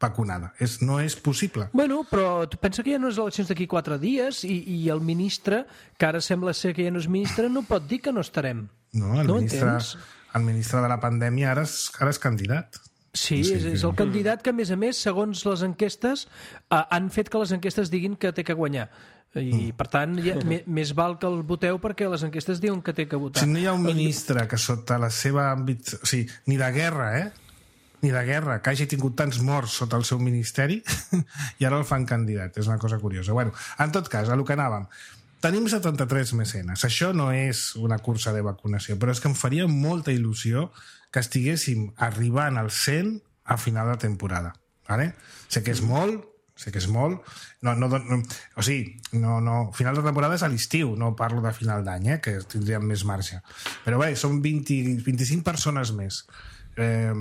vacunada. És, no és possible. Bueno, però tu pensa que hi ha unes eleccions d'aquí quatre dies i, i el ministre, que ara sembla ser que ja no és ministre, no pot dir que no estarem. No, el, No ministre, entens? el ministre de la pandèmia ara és, ara és candidat. Sí, Sí, és, és que- el candidat que, a més a més, segons les enquestes, eh, han fet que les enquestes diguin que té que guanyar. I, per tant, ja, me- més val que el voteu perquè les enquestes diuen que té que votar. Si no hi ha un ministre que sota la seva àmbit... O sigui, ni de guerra, eh? Ni de guerra, que hagi tingut tants morts sota el seu ministeri i ara el fan candidat. És una cosa curiosa. Bueno, en tot cas, a lo que anàvem. Tenim setanta-tres mecenes. Això no és una cursa de vacunació, però és que em faria molta il·lusió que estiguéssim arribant al cent a final de temporada. Vale? Sé que és molt, sé que és molt. No, no, no, o sigui, no, no, final de temporada és a l'estiu, no parlo de final d'any, eh, que tindríem més marge. Però bé, són vint, vint-i-cinc persones més. Eh,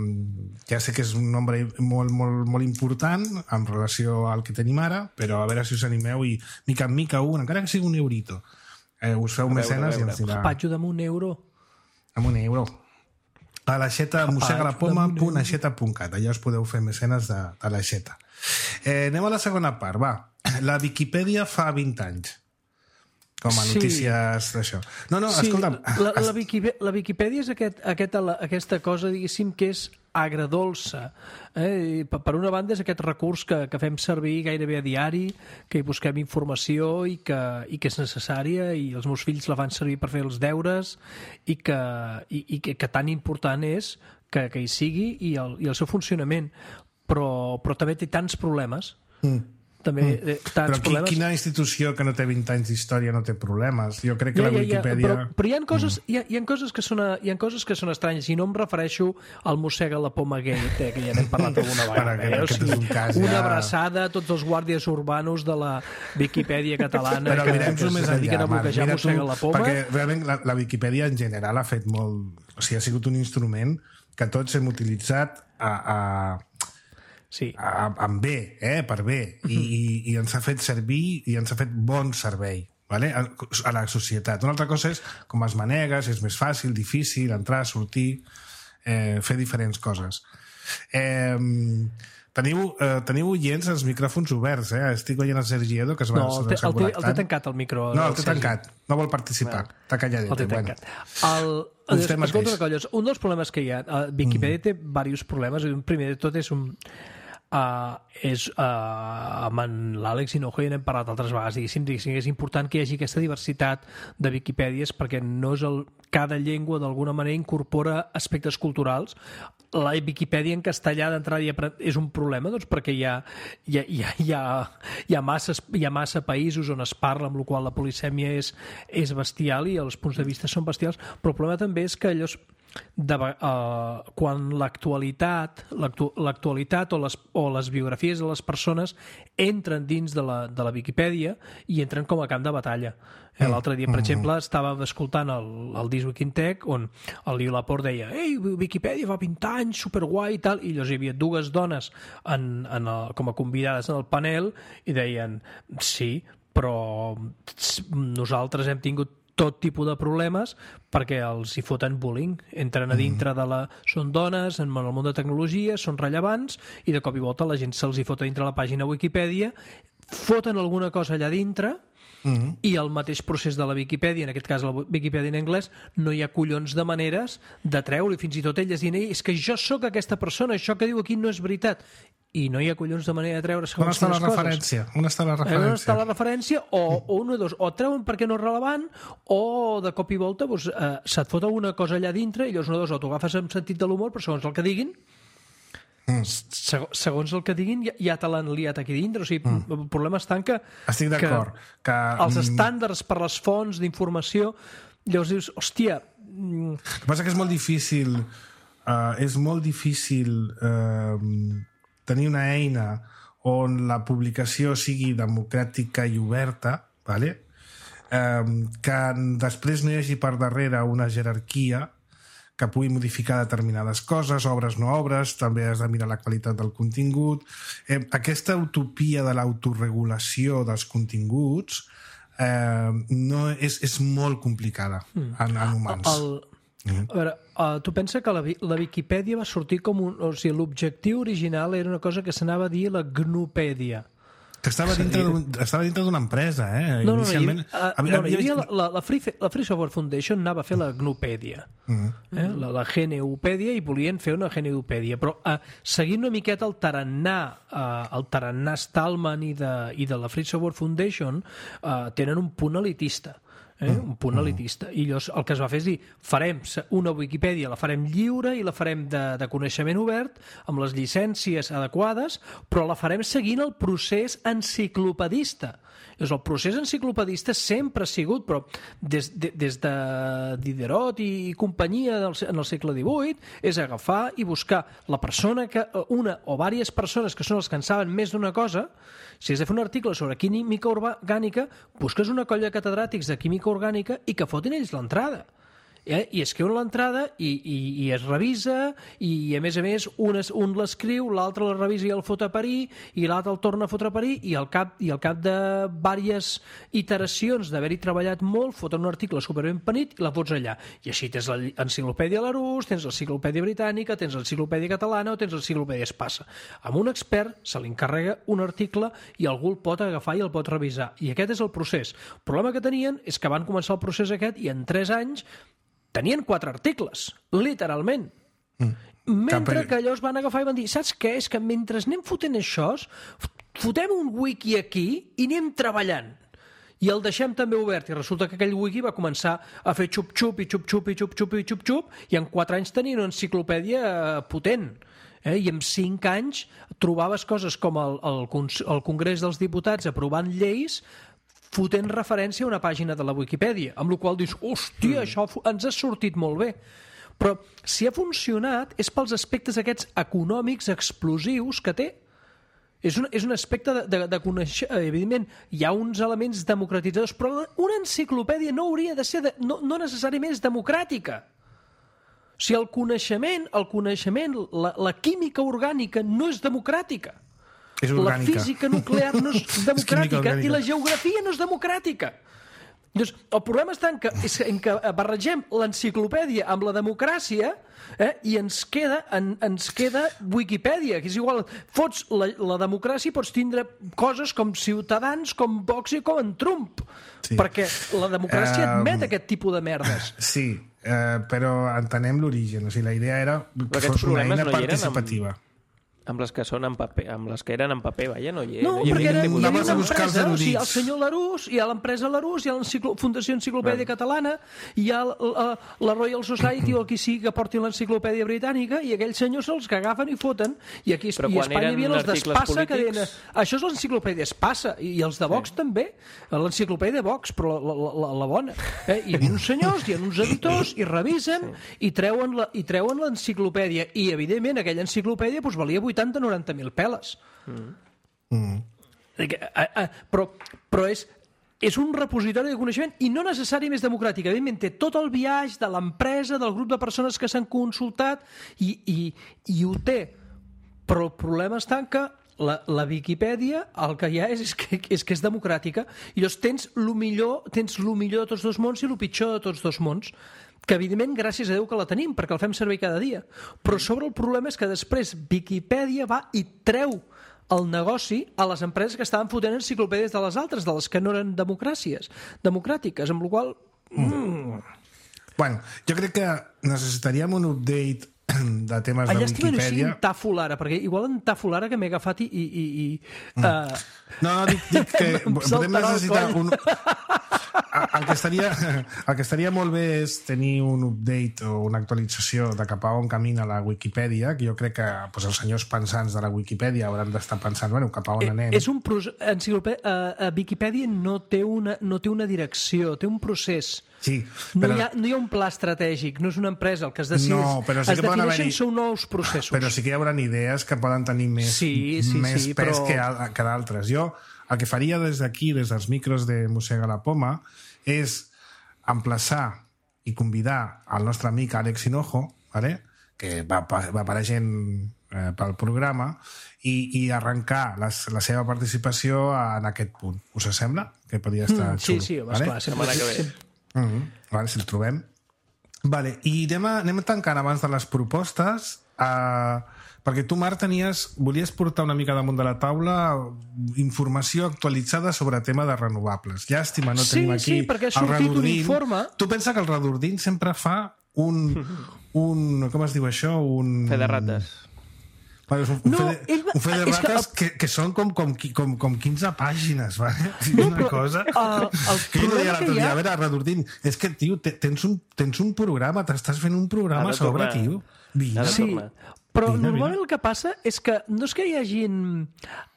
ja sé que és un nombre molt, molt, molt important en relació al que tenim ara, però a veure si us animeu i mica en mica un, encara que sigui un eurito, eh, us feu veure, mecenes a i veure. ens dirà Patxo amb un euro. amb un euro a l'aixeta mossega la poma amb un punt aixeta punt cat, allà us podeu fer mecenes de, de l'aixeta. Eh, anem a la segona part, va. La Viquipèdia fa vint anys, com a Sí. notícies d'això. No, no, Sí, escolta'm, la, la, Wikipe- la Viquipèdia és aquest, aquest, aquesta cosa, diguéssim, que és agradolça. Eh? I per per una banda és aquest recurs que, que fem servir gairebé a diari, que hi busquem informació i que, i que és necessària, i els meus fills la fan servir per fer els deures, i que, i, i que, que tan important és que, que hi sigui i el, i el seu funcionament. Però, però també té tants problemes. Mm. També eh, tants però qui, problemes. quina institució que no té vint anys d'història no té problemes? Jo crec que la Viquipèdia... Però, però hi ha coses, mm. hi ha, hi ha coses que són, hi ha coses que són estranyes, i no em refereixo al mossega la poma gate, eh, que ja n'hem parlat alguna vegada. Perquè Eh? O aquest sigui, és un cas una ja- abraçada a tots els guàrdies urbanos de la Viquipèdia catalana Però que, mirem-ho que més es dediquen enllà, a Marc. bloquejar Mira tu, mossega la poma. perquè realment la, la Viquipèdia en general ha fet molt... O sigui, ha sigut un instrument que tots hem utilitzat a, a, Sí. a, amb bé, eh, per bé, I, i, i ens ha fet servir i ens ha fet bon servei, vale? a la societat. Una altra cosa és com es manega, si és més fàcil, difícil, entrar, sortir, eh, fer diferents coses. Eh, teniu, eh, teniu oients els micròfons oberts, eh? Estic veient el Sergi Edo, que es va... No, el té, el, té, el té tancat el micro. No, el té Sergi. tancat. No vol participar. Bueno, està calladet. El té bueno. tancat. El, es, escolta, colles, un dels problemes que hi ha... Uh, Wikipedia mm. té diversos problemes. Un primer de tot és un... Uh, és, uh, amb l'Àlex Hinojo ja n'hem parlat altres vegades, diguéssim, diguéssim, és important que hi hagi aquesta diversitat de Wikipèdies perquè no és el, cada llengua d'alguna manera incorpora aspectes culturals. La Viquipèdia en castellà d'entrada ja és un problema, doncs, perquè hi ha, hi ha, hi ha, hi ha, hi ha, masses, hi ha massa països on es parla, amb la qual la polisèmia és, és bestial i els punts de vista són bestials, però el problema també és que allò de, uh, quan l'actualitat l'actu, l'actualitat o les, o les biografies de les persones entren dins de la, de la Viquipèdia i entren com a camp de batalla. Eh, l'altre dia, per exemple, estàvem escoltant el, el This Week in Tech on el Liu Laporte deia ei, Viquipèdia fa vint anys, superguai i tal, i llavors hi havia dues dones en, en el, com a convidades en el panel i deien, sí, però nosaltres hem tingut tot tipus de problemes perquè els hi foten bullying. Entren a dintre de la... Són dones, en el món de tecnologia, són rellevants, i de cop i volta la gent se'ls hi fota dintre la pàgina Wikipedia, foten alguna cosa allà dintre, mm-hmm. i el mateix procés de la Viquipèdia, en aquest cas la Viquipèdia en anglès, no hi ha collons de maneres de treure, i fins i tot elles dient, és que jo sóc aquesta persona, això que diu aquí no és veritat. I no hi ha collons de manera de treure segons quines coses. On està la referència? On està la referència? On està la referència? O, o un o dos, o treuen perquè no és relevant, o de cop i volta doncs, eh, se't fot alguna cosa allà dintre i llavors una o dos, o t'ho agafes amb sentit de l'humor, però segons el que diguin, mm. segons el que diguin ja, ja te l'han liat aquí dintre. O sigui, mm. el problema està en que, Estic d'acord, que, que els estàndards per les fonts d'informació, llavors dius, hòstia... El que passa que és molt difícil uh, és molt difícil uh, tenir una eina on la publicació sigui democràtica i oberta, vale? um, que després no hi hagi per darrere una jerarquia que pugui modificar determinades coses, obres no obres, també has de mirar la qualitat del contingut. Eh, aquesta utopia de l'autoregulació dels continguts eh, no és, és molt complicada mm. en, en humans. El... A veure, uh, tu pensa que la, la Viquipèdia va sortir com un... O sigui, l'objectiu original era una cosa que s'anava a dir la Gnupèdia. Que estava dintre, estava dintre d'una empresa, eh? No, no, Inicialment... no, hi havia, uh, no, no, hi havia la, la, la, Free, la Free Software Foundation anava a fer la Gnupèdia, uh-huh. eh? la, la GNUpèdia, i volien fer una GNUpèdia, però uh, seguint una miqueta el tarannà, uh, el tarannà Stallman i de, i de la Free Software Foundation uh, tenen un punt elitista. Eh? un punt elitista, i llavors el que es va fer és dir, farem una Wikipedia, la farem lliure i la farem de, de coneixement obert amb les llicències adequades, però la farem seguint el procés enciclopedista. Llavors, el procés enciclopedista sempre ha sigut, però des de, des de Diderot i, i companyia del, en el segle divuit, és agafar i buscar la persona que, una o diverses persones que són els que en saben més d'una cosa. Si has de fer un article sobre química orgànica, busques una colla de catedràtics de química orgànica i que fotin ells l'entrada. Eh? I escriuen l'entrada i, i, i es revisa, i a més a més un, es, un l'escriu, l'altre la revisa i el fot a parir, i l'altre el torna a fotre a parir, i al cap, i al cap de diverses iteracions d'haver-hi treballat molt, foten un article superben penit i la fots allà. I així tens l'enciclopèdia Larousse, tens l'enciclopèdia britànica, tens l'enciclopèdia catalana o tens l'enciclopèdia Espasa. Amb un expert se li encarrega un article i algú el pot agafar i el pot revisar. I aquest és el procés. El problema que tenien és que van començar el procés aquest i en tres anys tenien quatre articles, literalment. Mm. Mentre que allò es van agafar i van dir, saps què? És que mentre anem fotent això, fotem un wiki aquí i anem treballant. I el deixem també obert. I resulta que aquell wiki va començar a fer xup-xup i xup-xup i xup-xup i xup-xup i en quatre anys tenien una enciclopèdia potent. Eh? I en cinc anys trobaves coses com el, el, el Congrés dels Diputats aprovant lleis fotent referència a una pàgina de la Wikipedia, amb la qual dius, hòstia, mm. això ens ha sortit molt bé. Però si ha funcionat és pels aspectes aquests econòmics explosius que té. És un, és un aspecte de, de, de conèixer... Evidentment, hi ha uns elements democratitzadors, però una enciclopèdia no hauria de ser... De, no, no necessàriament és democràtica. O sigui, el coneixement, el coneixement la, la química orgànica no és democràtica. És la física nuclear no és democràtica és i la geografia no és democràtica. Llavors, el problema està en que, és en que barregem l'enciclopèdia amb la democràcia, eh, i ens queda, en, ens queda Wikipedia, que és igual, fots la, la democràcia i pots tindre coses com Ciutadans, com Vox i com en Trump, Sí. perquè la democràcia Um, admet aquest tipus de merdes. Sí, eh, però entenem l'origen. O sigui, la idea era que aquests fos una problemes eina no hi eren amb- participativa. Amb les que són en paper, amb les que eren en paper, vaja, no hi, No, no hi perquè era, ningú. hi havia Anaves una a buscar els empresa, o sigui, el erudits. senyor Larús, hi ha l'empresa Larús, hi ha la Fundació Enciclopèdia Catalana, hi ha la, la Royal Society o el qui sigui que porti l'enciclopèdia britànica, i aquells senyors se'ls que agafen i foten, i aquí Però i a quan Espanya hi havia eren els articles d'Espassa que deien, polítics- això és l'enciclopèdia Espassa, i els de Vox també, l'enciclopèdia Vox, però la, la, la, la bona. Eh? Hi havia uns senyors, hi ha uns editors, i revisen, i treuen la, i treuen l'enciclopèdia, i evidentment aquella enciclopèdia doncs, valia vuitanta o noranta mil peles. Mm. Però, però és, és un repositori de coneixement i no necessari més democràtic. Evidentment, té tot el biaix de l'empresa, del grup de persones que s'han consultat i, i, i ho té. Però el problema està en que la, la Viquipèdia el que hi ha és, és, que, és que és democràtica i llavors tens lo millor, tens lo millor de tots dos mons i lo pitjor de tots dos mons, que evidentment gràcies a Déu que la tenim perquè el fem servir cada dia, però sobre el problema és que després Viquipèdia va i treu el negoci a les empreses que estaven fotent enciclopèdies de les altres, de les que no eren democràcies democràtiques, amb la qual mm. Bueno, jo crec que necessitaríem un update de temes allà de estic veient si Wikipedia. en Tàfol ara, perquè igual en Tàfol ara que m'he agafat i... i, i, i Mm. uh, No, no, dic, dic que Em podem saltarà el necessitar coll. un... El que, estaria, el que estaria molt bé és tenir un update o una actualització de cap a on camina la Wikipedia, que jo crec que doncs, els senyors pensants de la Wikipedia hauran d'estar pensant, bueno, cap a on anem. és un procés, enciclopèdia, uh, Viquipèdia no té, una, no té una direcció, té un procés. Sí, No, però, hi ha, no hi ha un pla estratègic, no és una empresa el que es decideix. No, però sí es que poden defineixen haver-hi- són nous processos. però sí que hi haurà idees que poden tenir més, Sí, sí, més sí, pes però- que, al- que d'altres. Jo el que faria des d'aquí, des dels micros de Mossega la Poma, és emplaçar i convidar el nostre amic Àlex Hinojo, vale? que va, va apareixent eh, pel programa, i, i arrencar les, la seva participació en aquest punt. Us sembla? Que podria estar Mm, sí, xulo. sí, home, vale? esclar, sempre, Setmana que ve. sempre, Mm -hmm. Vale, si el trobem. Vale, i anem, a, anem tancant abans de les propostes, uh, perquè tu, Marc, tenies, volies portar una mica damunt de la taula informació actualitzada sobre tema de renovables. Llàstima, no Sí, tenim aquí sí, perquè ha el sortit un Redordín. informe. Tu pensa que el Redordín sempre fa un, un... Com es diu això? Un... Fe de rates. Vale, és un, un, No, fe de, ell va- un fe de és que rates el- que, que són com, com, com, com quinze pàgines, vale? És una però, cosa... el- el que jo problema deia l'altre que hi dia, ha- a veure, Redordín, és que, tio, te- tens un, tens un programa, t'estàs fent un programa Ha a de sobre, tornar. tio. Vine. Ha de Sí, tornar. però Vine, normalment vine. el que passa és que no és que hi hagin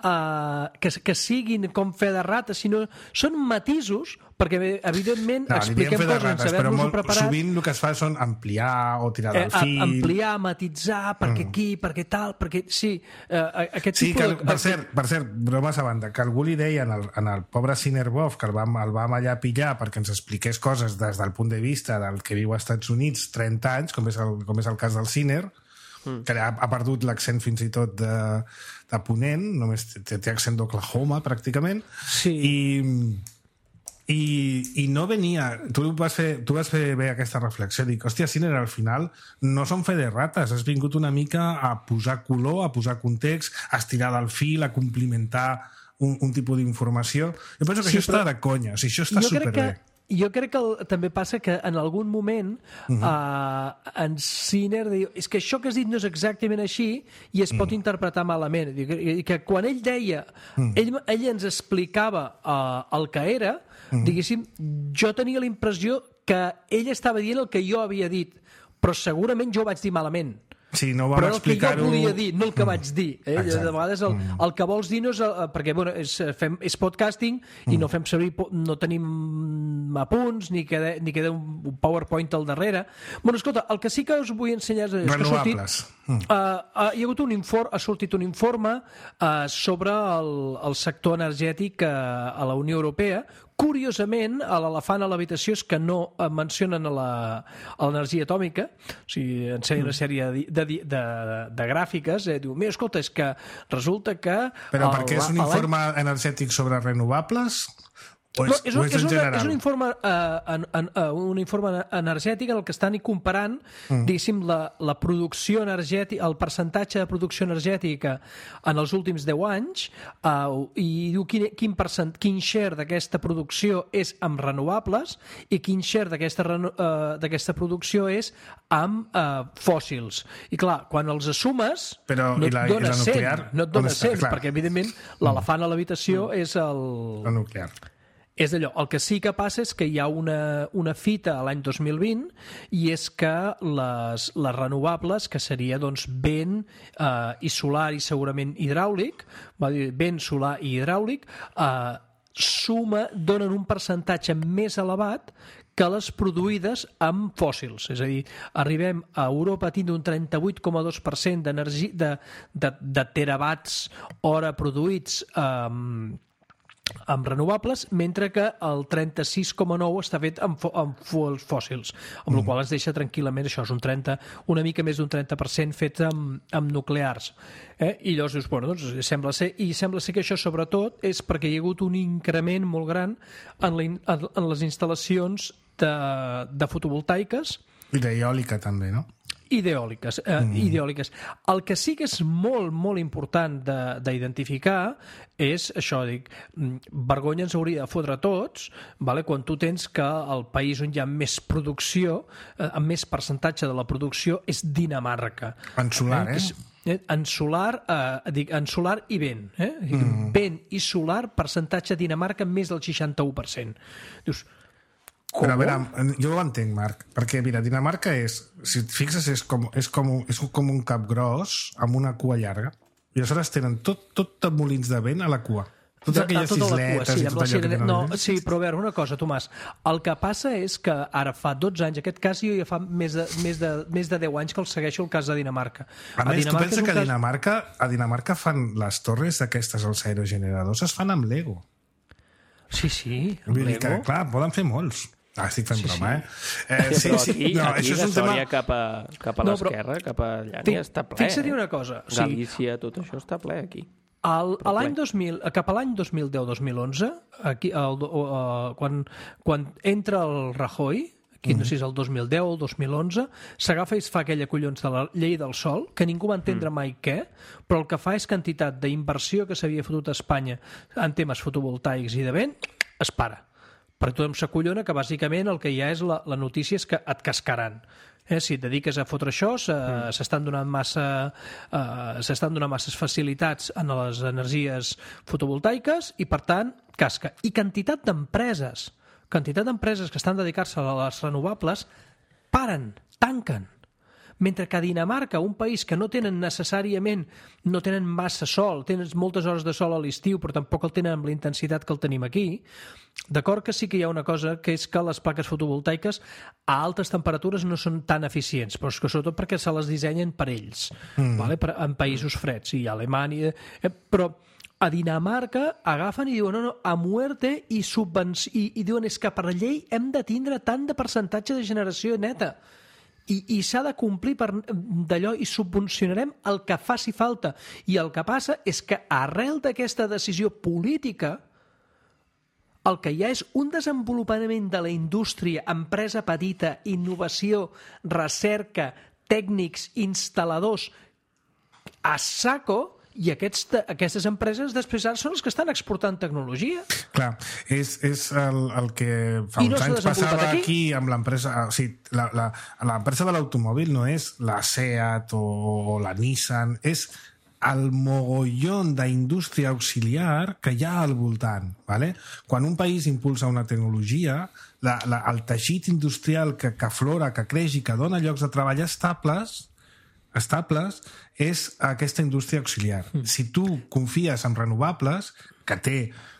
uh, que, que siguin com fe de rata, sinó són matisos, perquè evidentment No, li diem expliquem fer de coses rates, sense però haver-nos-ho molt, preparat. sovint el que es fa són ampliar o tirar Eh, del a- fil. ampliar, matitzar, perquè aquí, perquè tal, perquè... Sí, eh, aquest Sí, tipus que, de... per cert, per cert, bromes a banda, que algú li deia en el, en el pobre Sinerbov, que el vam, el vam allà pillar perquè ens expliqués coses des del punt de vista del que viu als Estats Units trenta anys, com és el, com és el cas del Siner, mm. que ha, ha perdut l'accent fins i tot de, de Ponent, només té, té accent d'Oklahoma, pràcticament, Sí. i... I, i no venia... Tu vas, fer, tu vas fer bé aquesta reflexió. Dic, hòstia, Siner, al final no són fe de rates. Has vingut una mica a posar color, a posar context, a estirar del fil, a complimentar un, un tipus d'informació. Jo penso que Sí, això però- està de conya. O sigui, això està jo crec superbé. que jo crec que el, també passa que en algun moment uh -huh. uh, en Sinner diu, és que això que has dit no és exactament així i es pot uh -huh. interpretar malament. I que, i que quan ell deia, uh -huh. ell, ell ens explicava uh, el que era, uh -huh. diguéssim, jo tenia la impressió que ell estava dient el que jo havia dit, però segurament jo ho vaig dir malament. Sí, no vam Però el que jo explicar-ho... volia dir, no el que vaig dir. Eh? Exacte. De vegades el, el que vols dir no és... El, perquè bueno, és, fem, és podcasting i no fem servir... po- No tenim apunts, ni queda, ni queda un PowerPoint al darrere. Bueno, escolta, el que sí que us vull ensenyar és, és que ha sortit... Renovables. Uh, uh, hi ha hagut un informe, ha sortit un informe uh, sobre el, el sector energètic uh, a la Unió Europea. Curiosament, a l'elefant a l'habitació és que no eh, mencionen a la- a l'energia atòmica, o sigui, ensenyen una sèrie de, de, de, de, de gràfiques, eh, diu, mira, escolta, és que resulta que... Però el- perquè és un l'any- informe energètic sobre renovables O és, No, és, o un, és és, en una, general? és un informe, uh, en, en, uh, un informe energètic en el que estan comparant mm. diguéssim, la, la producció energètica, el percentatge de producció energètica en els últims deu anys uh, i diu quin, quin, percent, quin share d'aquesta producció és amb renovables i quin share d'aquesta uh, d'aquesta producció és amb uh, fòssils. I clar, quan els assumes Però, no i la, et dona i la cent, nuclear, no et dona cent, clar. perquè evidentment l'elefant a l'habitació mm. és el... La nuclear. És d'allò. El que sí que passa és que hi ha una, una fita a l'any dos mil vint i és que les, les renovables, que seria doncs, vent eh, i solar i segurament hidràulic, va dir vent, solar i hidràulic, eh, suma, donen un percentatge més elevat que les produïdes amb fòssils. És a dir, arribem a Europa a tindre un trenta-vuit coma dos per cent d'energia de, de, de terawatts hora produïts amb eh, amb renovables, mentre que el trenta-sis coma nou està fet amb, fo amb fuels fòssils, amb mm. la qual ens deixa tranquil·lament això, és un trenta, una mica més d'un trenta per cent fet amb, amb nuclears. Eh? I llavors dius, bueno, doncs sembla ser, i sembla ser que això sobretot és perquè hi ha hagut un increment molt gran en, la, en, en les instal·lacions de, de fotovoltaiques I d'eòlica també, no? Ideòliques, eh, mm. ideòliques. El que sí que és molt, molt important d'identificar és això, dic, vergonya ens hauria de fotre a tots, vale? Quan tu tens que el país on hi ha més producció, eh, amb més percentatge de la producció, és Dinamarca. En solar, eh? eh? En solar, eh, dic, en solar i vent. Eh? Mm. Vent i solar, percentatge Dinamarca més del seixanta-u per cent. Dius, com? Però a veure, jo ho entenc, Marc, perquè mira, Dinamarca és, si et fixes, és com, és com, un, és com un cap gros amb una cua llarga, i aleshores tenen tot, tot de molins de vent a la cua. Totes De- aquelles tota la cua, isletes sí, i amb tot la allò que sirene- tenen. No, allà. sí, però a veure, una cosa, Tomàs. El que passa és que ara fa dotze anys, aquest cas jo ja fa més de, més de, més de deu anys que el segueixo el cas de Dinamarca. A més, tu pensa és un que a cas- Dinamarca, a Dinamarca fan les torres aquestes, els aerogeneradors, es fan amb Lego. Sí, sí, amb Vull dir que, Lego. clar, poden fer molts. Ah, estic fent Sí, broma, sí. eh? eh Sí, però aquí, no, aquí això és de un tema... Sòria cap a, cap a No, però- l'esquerra, cap a allà, Fi- n'hi està ple. fixa't eh? una cosa, o sigui- Galícia, tot això està ple aquí. El, a l'any ple. dos mil, cap a l'any dos mil deu dos mil onze, aquí, el, uh, quan, quan entra el Rajoy, aquí no sé si és el dos mil deu o el dos mil onze, s'agafa i es fa aquella collons de la llei del sol, que ningú va entendre mm. mai què, però el que fa és quantitat d'inversió que s'havia fotut a Espanya en temes fotovoltaics i de vent, es para. Perquè tothom s'acollona que bàsicament el que hi ha és la, la notícia és que et cascaran. Eh, si et dediques a fotre això, s'estan donant massa uh, s'estan donant masses facilitats en les energies fotovoltaiques i, per tant, casca. I quantitat d'empreses, quantitat d'empreses que estan dedicant-se a les renovables, paren, tanquen. Mentre que a Dinamarca, un país que no tenen necessàriament, no tenen massa sol, tenen moltes hores de sol a l'estiu, però tampoc el tenen amb la intensitat que el tenim aquí, d'acord que sí que hi ha una cosa, que és que les plaques fotovoltaiques a altes temperatures no són tan eficients, però és que sobretot perquè se les dissenyen per ells, mm. vale? per, en països freds, i a Alemanya... Eh, però a Dinamarca agafen i diuen no, no, a muerte i, subvenci... I, i diuen és que per llei hem de tindre tant de percentatge de generació neta. I, i s'ha de complir per d'allò i subvencionarem el que faci falta. I el que passa és que arrel d'aquesta decisió política el que hi ha és un desenvolupament de la indústria, empresa petita, innovació, recerca, tècnics, instal·ladors a saco, i aquests, aquestes empreses després ara són les que estan exportant tecnologia. Clar, és, és el, el que fa I uns no s'ha anys desenvolupat passava aquí? aquí amb l'empresa... O sigui, la, la, l'empresa de l'automòbil no és la SEAT o, o la Nissan, és el mogollón d'indústria auxiliar que hi ha al voltant. ¿Vale? Quan un país impulsa una tecnologia, la, la, el teixit industrial que, que aflora, que creix i que dona llocs de treball estables, estables és aquesta indústria auxiliar. Mm. Si tu confies en renovables, que té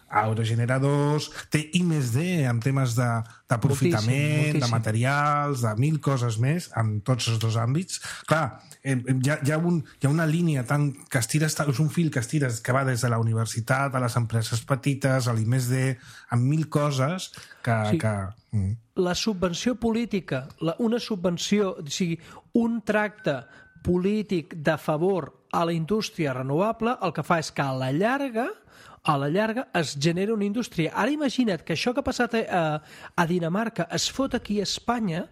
aerogeneradors, té I més D en temes de, d'aprofitament, Moltíssim, moltíssim. de materials, de mil coses més, en tots els dos àmbits. Clar, eh, hi, ha, hi, ha un, hi ha una línia tan, que estires, és un fil que estires que va des de la universitat a les empreses petites, a l'I més D, amb mil coses que... Sí. que mm. La subvenció política, la, una subvenció, o sigui, un tracte polític de favor a la indústria renovable, el que fa és que a la llarga a la llarga es genera una indústria. Ara imagina't que això que ha passat a, a Dinamarca es fot aquí a Espanya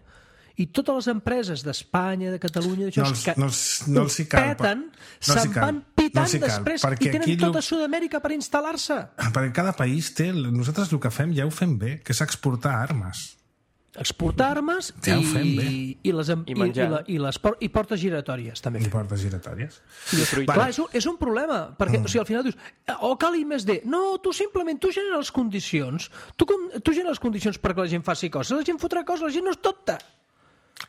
i totes les empreses d'Espanya, de Catalunya, d'això, No els- que no els- no els hi cal, peten, no els hi se'n cal, van no pitant els hi cal, després perquè i tenen aquí tota lo- Sud-amèrica per instal·lar-se. Perquè cada país té... Nosaltres el que fem ja ho fem bé, que és exportar armes. Exportar armes Ja ho i, fem bé. i, les, em- I i, i, menjar. la, i, les, por- i portes giratòries, també. I portes giratòries. I fruita. Clar, és un, és un problema, perquè Mm. o sigui, al final dius, o cal I més D. No, tu simplement, tu generes les condicions, tu, com, tu generes les condicions perquè la gent faci coses, la gent fotrà coses, la gent no és tonta.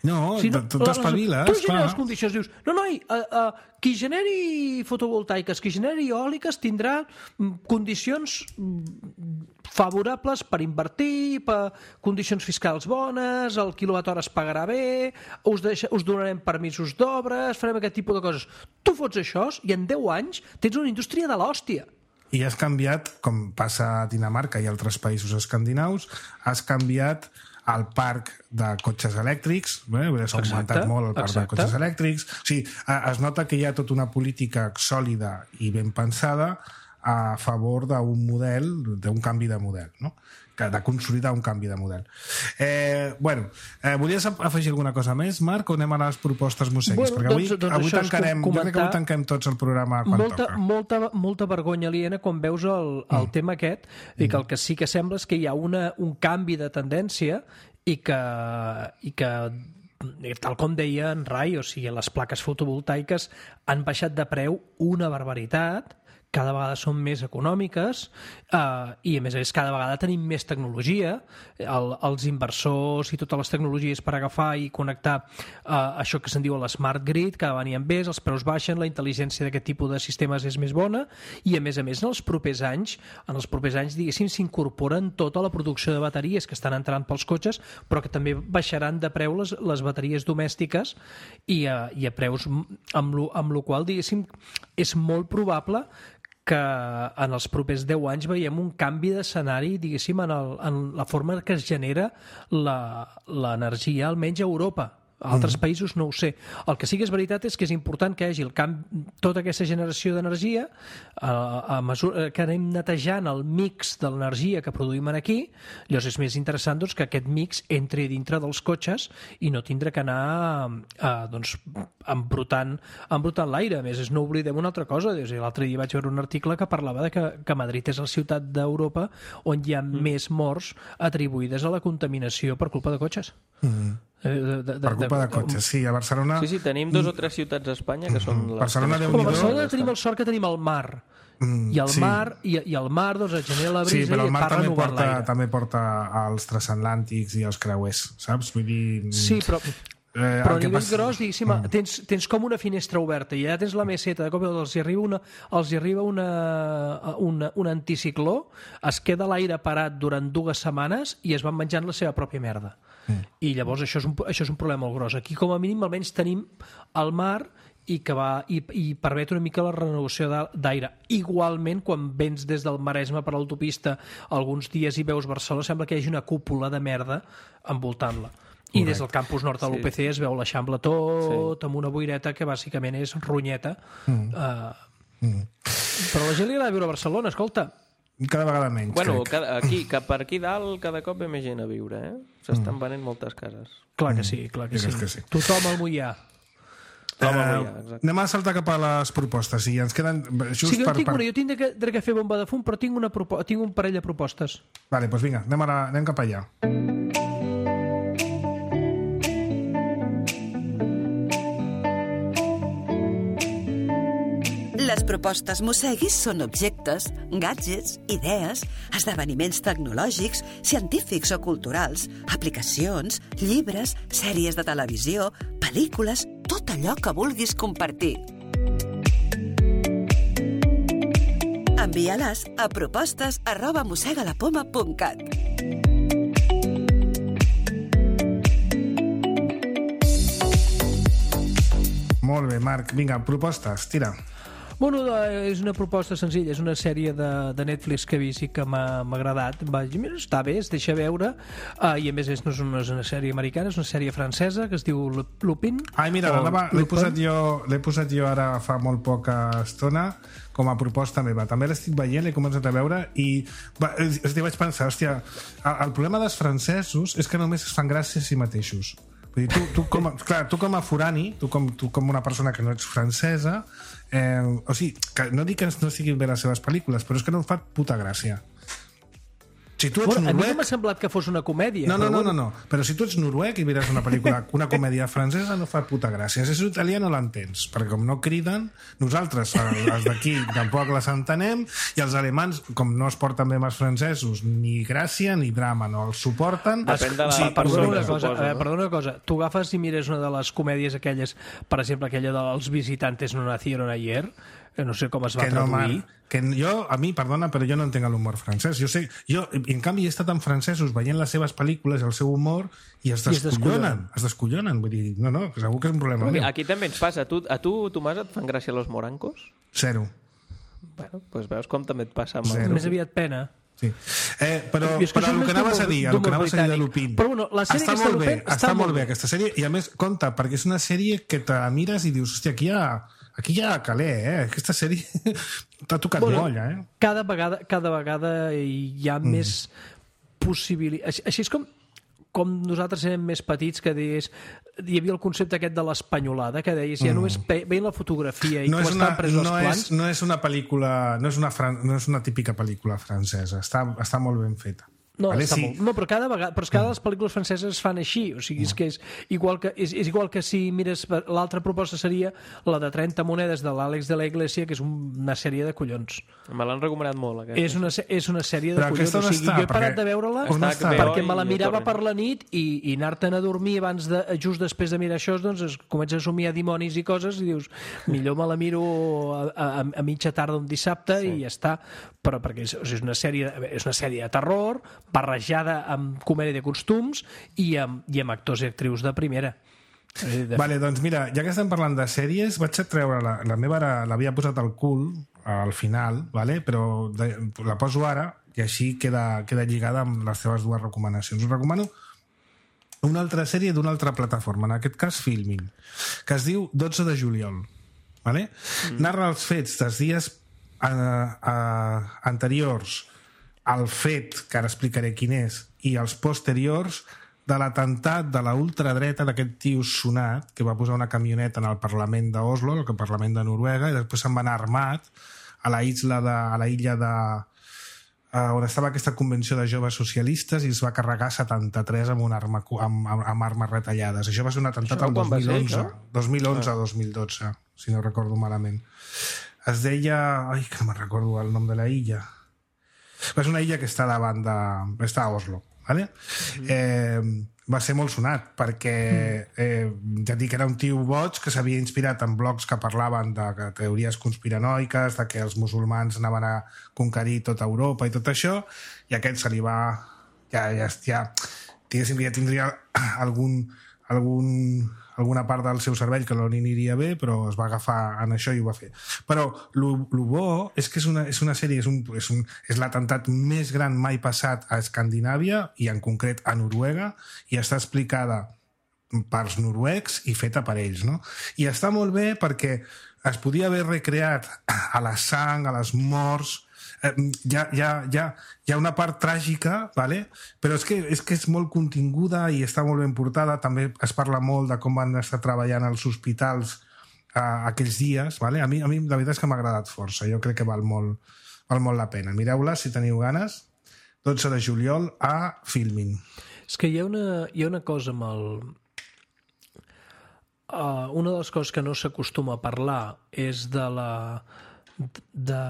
No, Si tu la- t'espaviles, Tu generes clar. les condicions, dius, no, noi, uh, uh, qui generi fotovoltaiques, qui generi eòliques tindrà mm, condicions mm, favorables per invertir, per condicions fiscals bones, el quilowatt hora es pagarà bé, us, deixa, us donarem permisos d'obres, farem aquest tipus de coses. Tu fots això i en deu anys tens una indústria de l'hòstia. I has canviat, com passa a Dinamarca i altres països escandinaus, has canviat el parc de cotxes elèctrics, eh? s'ha augmentat Exacte, molt el parc exacte. de cotxes elèctrics. O sigui, eh, es nota que hi ha tota una política sòlida i ben pensada a favor d'un model, d'un canvi de model, no? Que de consolidar un canvi de model. Eh, bueno, eh, volies afegir alguna cosa més, Marc, o anem a les propostes musseguis? Bueno, Perquè avui, doncs- doncs avui això és tancarem, com jo crec que avui comentar- tanquem tots el programa quan molta, toca. molta, molta vergonya aliena quan veus el, el mm. tema aquest i que el que sí que sembla és que hi ha una, un canvi de tendència i que, i que tal com deia en Rai, o sigui, les plaques fotovoltaiques han baixat de preu una barbaritat, cada vegada són més econòmiques eh, i a més a més cada vegada tenim més tecnologia, el, els inversors i totes les tecnologies per agafar i connectar eh, això que se'n diu l'smart grid, cada vegada n'hi ha més, els preus baixen, la intel·ligència d'aquest tipus de sistemes és més bona i a més a més en els propers anys en els propers anys diguéssim s'incorporen tota la producció de bateries que estan entrant pels cotxes però que també baixaran de preu les, les bateries domèstiques i a, i a preus amb lo, amb lo qual diguéssim és molt probable que en els propers deu anys veiem un canvi d'escenari, diguéssim, en, el, en la forma que es genera l'energia, almenys a Europa. A altres mm. països no ho sé. El que sí que és veritat és que és important que hi hagi el camp, tota aquesta generació d'energia, a, a mesura que anem netejant el mix de l'energia que produïm aquí, llavors és més interessant doncs, que aquest mix entri dintre dels cotxes i no tindre que anar a, doncs, embrutant, embrutant l'aire. A més, no oblidem una altra cosa. L'altre dia vaig veure un article que parlava de que, que Madrid és la ciutat d'Europa on hi ha mm. més morts atribuïdes a la contaminació per culpa de cotxes. Mm. De, de, de, Per culpa de cotxes, sí. A Barcelona... Sí, sí, tenim dos o tres ciutats a Espanya que són... Les Barcelona, que més Déu-n'hi-do. a Barcelona tenim el sort que tenim el mar. Mm, I el sí. mar, i, i el mar doncs, et genera la Sí, brisa però i el et mar fa també renovar porta, l'aire. també porta als transatlàntics i als creuers, saps? Vull dir... Sí, però, Eh, però el a que nivell passa- gros, diguéssim, Mm. tens, tens com una finestra oberta i allà tens la meseta, de cop els hi arriba, una, els hi arriba una, una, un anticicló, es queda l'aire parat durant dues setmanes i es van menjant la seva pròpia merda. Mm. I llavors això és, un, això és un problema molt gros. Aquí com a mínim almenys tenim el mar i que va i, i permet una mica la renovació d'aire. Igualment, quan vens des del Maresme per l'autopista alguns dies i veus Barcelona, sembla que hi hagi una cúpula de merda envoltant-la. I des del campus nord de l'U P C es veu l'Eixample tot sí. amb una boireta que bàsicament és ronyeta. Mm. Uh, mm. Però la gent li agrada viure a Barcelona, escolta. Cada vegada menys, bueno, crec. cada, aquí, cap per aquí dalt cada cop ve més gent a viure, eh? S'estan mm. venent moltes cases. Clar que sí, clar que, sí. que sí. Tothom al Moià. Uh, anem a saltar cap a les propostes i ens queden just sí, jo per, tinc per... una, jo tinc que, que fer bomba de fum però tinc, una propo... tinc un parell de propostes. Vale, doncs vinga, anem, a la... anem cap allà. Les propostes Mosseguis són objectes, gadgets, idees, esdeveniments tecnològics, científics o culturals, aplicacions, llibres, sèries de televisió, pel·lícules, tot allò que vulguis compartir. Envia-les a propostes arroba mossegalapoma punt cat. Molt bé, Marc. Vinga, propostes, tira. Bueno, és una proposta senzilla, és una sèrie de, de Netflix que he vist i que m'ha agradat. Vaig dir, mira, està bé, es deixa veure, uh, i a més és, no és una, és una sèrie americana, és una sèrie francesa que es diu Lupin. Ai, mira, l'he posat, jo, l'he posat jo ara fa molt poca estona com a proposta meva. També l'estic veient, l'he començat a veure i va, és, vaig pensar, hòstia, el, el problema dels francesos és que només es fan gràcia a si mateixos. Vull dir, tu, tu, com a, clar, tu com a forani, tu com, tu com una persona que no ets francesa, eh, o sigui, que no dic que no estiguin bé les seves pel·lícules, però és que no em fa puta gràcia. Si tu ets bueno, noruec... A mi no m'ha semblat que fos una comèdia. No, no, però no, bueno. no, no, però si tu ets noruec i mires una pel·lícula, una comèdia francesa, no fa puta gràcia. Si ets italià no l'entens, perquè com no criden, nosaltres, els d'aquí, tampoc les entenem, i els alemans, com no es porten bé amb els francesos, ni gràcia ni drama, no els suporten. Depèn de la O sigui, perdona, una cosa, suposo, eh, no? perdona una cosa, tu agafes i mires una de les comèdies aquelles, per exemple, aquella dels visitantes no nacieron ayer, que no sé com es va que no, traduir. man, que jo, a mi, perdona, però jo no entenc l'humor francès. Jo sé, jo, en canvi, he estat amb francesos veient les seves pel·lícules i el seu humor i es I es descollonen. Es descollonen. Vull dir, no, no, segur que és un problema Aquí, meu. aquí també ens passa. A tu, a tu, Tomàs, et fan gràcia los morancos? Zero. Bueno, doncs veus com també et passa amb Zero. el... Més aviat pena. Sí. Eh, però, I és que però això el és que més anaves a d'humor- dir, el que d'humor anaves a dir de britànic. Lupin, Però bueno, la sèrie està aquesta molt bé, Lupin està molt bé aquesta sèrie, i a més, compte, perquè és una sèrie que te la mires i dius, hòstia, aquí hi ha, aquí hi ha caler, eh? Aquesta sèrie t'ha tocat Bueno, molla, eh? Cada vegada, cada vegada hi ha mm. més possibilitats. Així, així és com, com nosaltres érem més petits, que deies, hi havia el concepte aquest de l'espanyolada, que deies, ja només ve- veient la fotografia i No com és, una, estan presos no, els plans... és, no és una pel·lícula, no és una, fran, no és una típica pel·lícula francesa, està, està molt ben feta. No, Vale, està sí. molt, no, però cada vegada, però és que cada les pel·lícules franceses es fan així, o sigui, és que és igual que, és, és igual que si mires, l'altra proposta seria la de trenta monedes de l'Àlex de la Iglesia, que és una sèrie de collons. Me l'han recomanat molt, aquesta. És una, és una sèrie de Però collons, aquesta o on sigui, està? jo he parat Perquè- de veure-la on Està està? H B O perquè me la i mirava Torrent. per la nit i, i anar-te'n a dormir abans de, just després de mirar això, doncs es comença a somiar dimonis i coses i dius, millor me la miro a, a, a mitja tarda un dissabte sí. i ja està, però perquè és, o sigui, és, una sèrie, és una sèrie de terror barrejada amb comèdia de costums i amb, i amb actors i actrius de primera. De... Vale, doncs mira, ja que estem parlant de sèries, vaig a treure la, la meva ara l'havia posat al cul al final, vale? Però de, la poso ara i així queda, queda lligada amb les teves dues recomanacions. Us recomano una altra sèrie d'una altra plataforma, en aquest cas Filmin, que es diu dotze de juliol. Vale? Mm. Narra els fets dels dies eh, eh, anteriors al fet, que ara explicaré quin és, i els posteriors de l'atemptat de la ultradreta d'aquest tio sonat que va posar una camioneta en el Parlament d'Oslo, el Parlament de Noruega, i després se'n va anar armat a la isla de, a la illa de uh, on estava aquesta convenció de joves socialistes i es va carregar setanta-tres amb, una arma, amb, amb, amb armes retallades. Això va ser un atemptat Això el quan dos va mil ser, onze, això? dos mil onze o dos mil dotze, si no recordo malament. Es deia... Ai, que no me'n recordo el nom de la illa. És una illa que està davant de... està a Oslo, vale? Mm-hmm. Eh, va ser molt sonat perquè eh, ja dic que era un tio boig que s'havia inspirat en blogs que parlaven de teories conspiranoiques, de que els musulmans anaven a conquerir tota Europa i tot això, i aquest se li va... ja, ja, ja diguéssim que ja tindria algun, algun, alguna part del seu cervell que no li aniria bé, però es va agafar en això i ho va fer. Però el bo és que és una, és una sèrie, és, un, és, un, és l'atemptat més gran mai passat a Escandinàvia, i en concret a Noruega, i està explicada pels noruecs i feta per ells, no? I està molt bé perquè es podia haver recreat a la sang, a les morts... Eh, hi, ha, hi, ha, hi, ha, hi ha una part tràgica, vale? Però és que, és que és molt continguda i està molt ben portada. També es parla molt de com van estar treballant als hospitals eh, aquells dies, vale? a, mi, a mi la veritat és que m'ha agradat força, jo crec que val molt, val molt la pena. Mireu-la si teniu ganes, dotze de juliol a Filmin. És que hi ha una, hi ha una cosa amb el... Uh, una de les coses que no s'acostuma a parlar és de la... de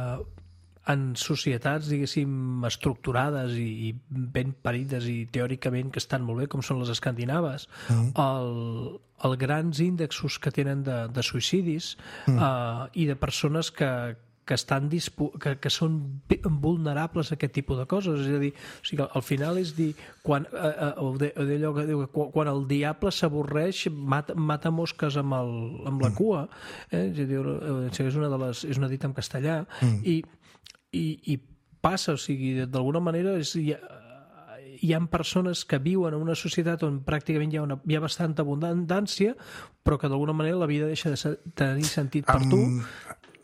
en societats, diguéssim, estructurades i, i ben parides i teòricament que estan molt bé, com són les escandinaves, mm. el, el grans índexs que tenen de, de suïcidis mm. uh, i de persones que, que, estan dispo que, que són vulnerables a aquest tipus de coses. És a dir, o sigui, al final és dir, quan, eh, allò que diu, quan el diable s'avorreix, mata, mata mosques amb, el, amb la cua. Eh? És, a dir, és, una de les, és una dita en castellà. Mm. I, i, I passa, o sigui, d'alguna manera és... Hi ha, hi ha persones que viuen en una societat on pràcticament hi ha, una, hi ha bastanta abundància, però que d'alguna manera la vida deixa de ser, tenir sentit per tu.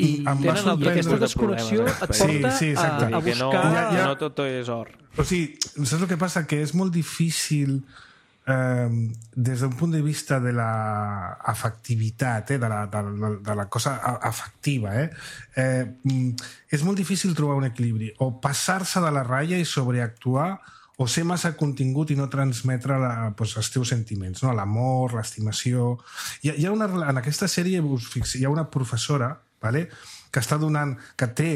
I, amb tenen el, i aquesta desconnexió et porta sí, sí, a, a buscar... No, ja, ja... no tot és or. O sigui, saps el que passa? Que és molt difícil eh, des d'un punt de vista de la afectivitat, eh, de, la, de, la, de la cosa afectiva, eh? Eh, és molt difícil trobar un equilibri. O passar-se de la ratlla i sobreactuar, o ser massa contingut i no transmetre la, pues, els teus sentiments, no? L'amor, l'estimació... Hi ha, hi ha una, en aquesta sèrie us fixeu, hi ha una professora, vale? Que està donant, que té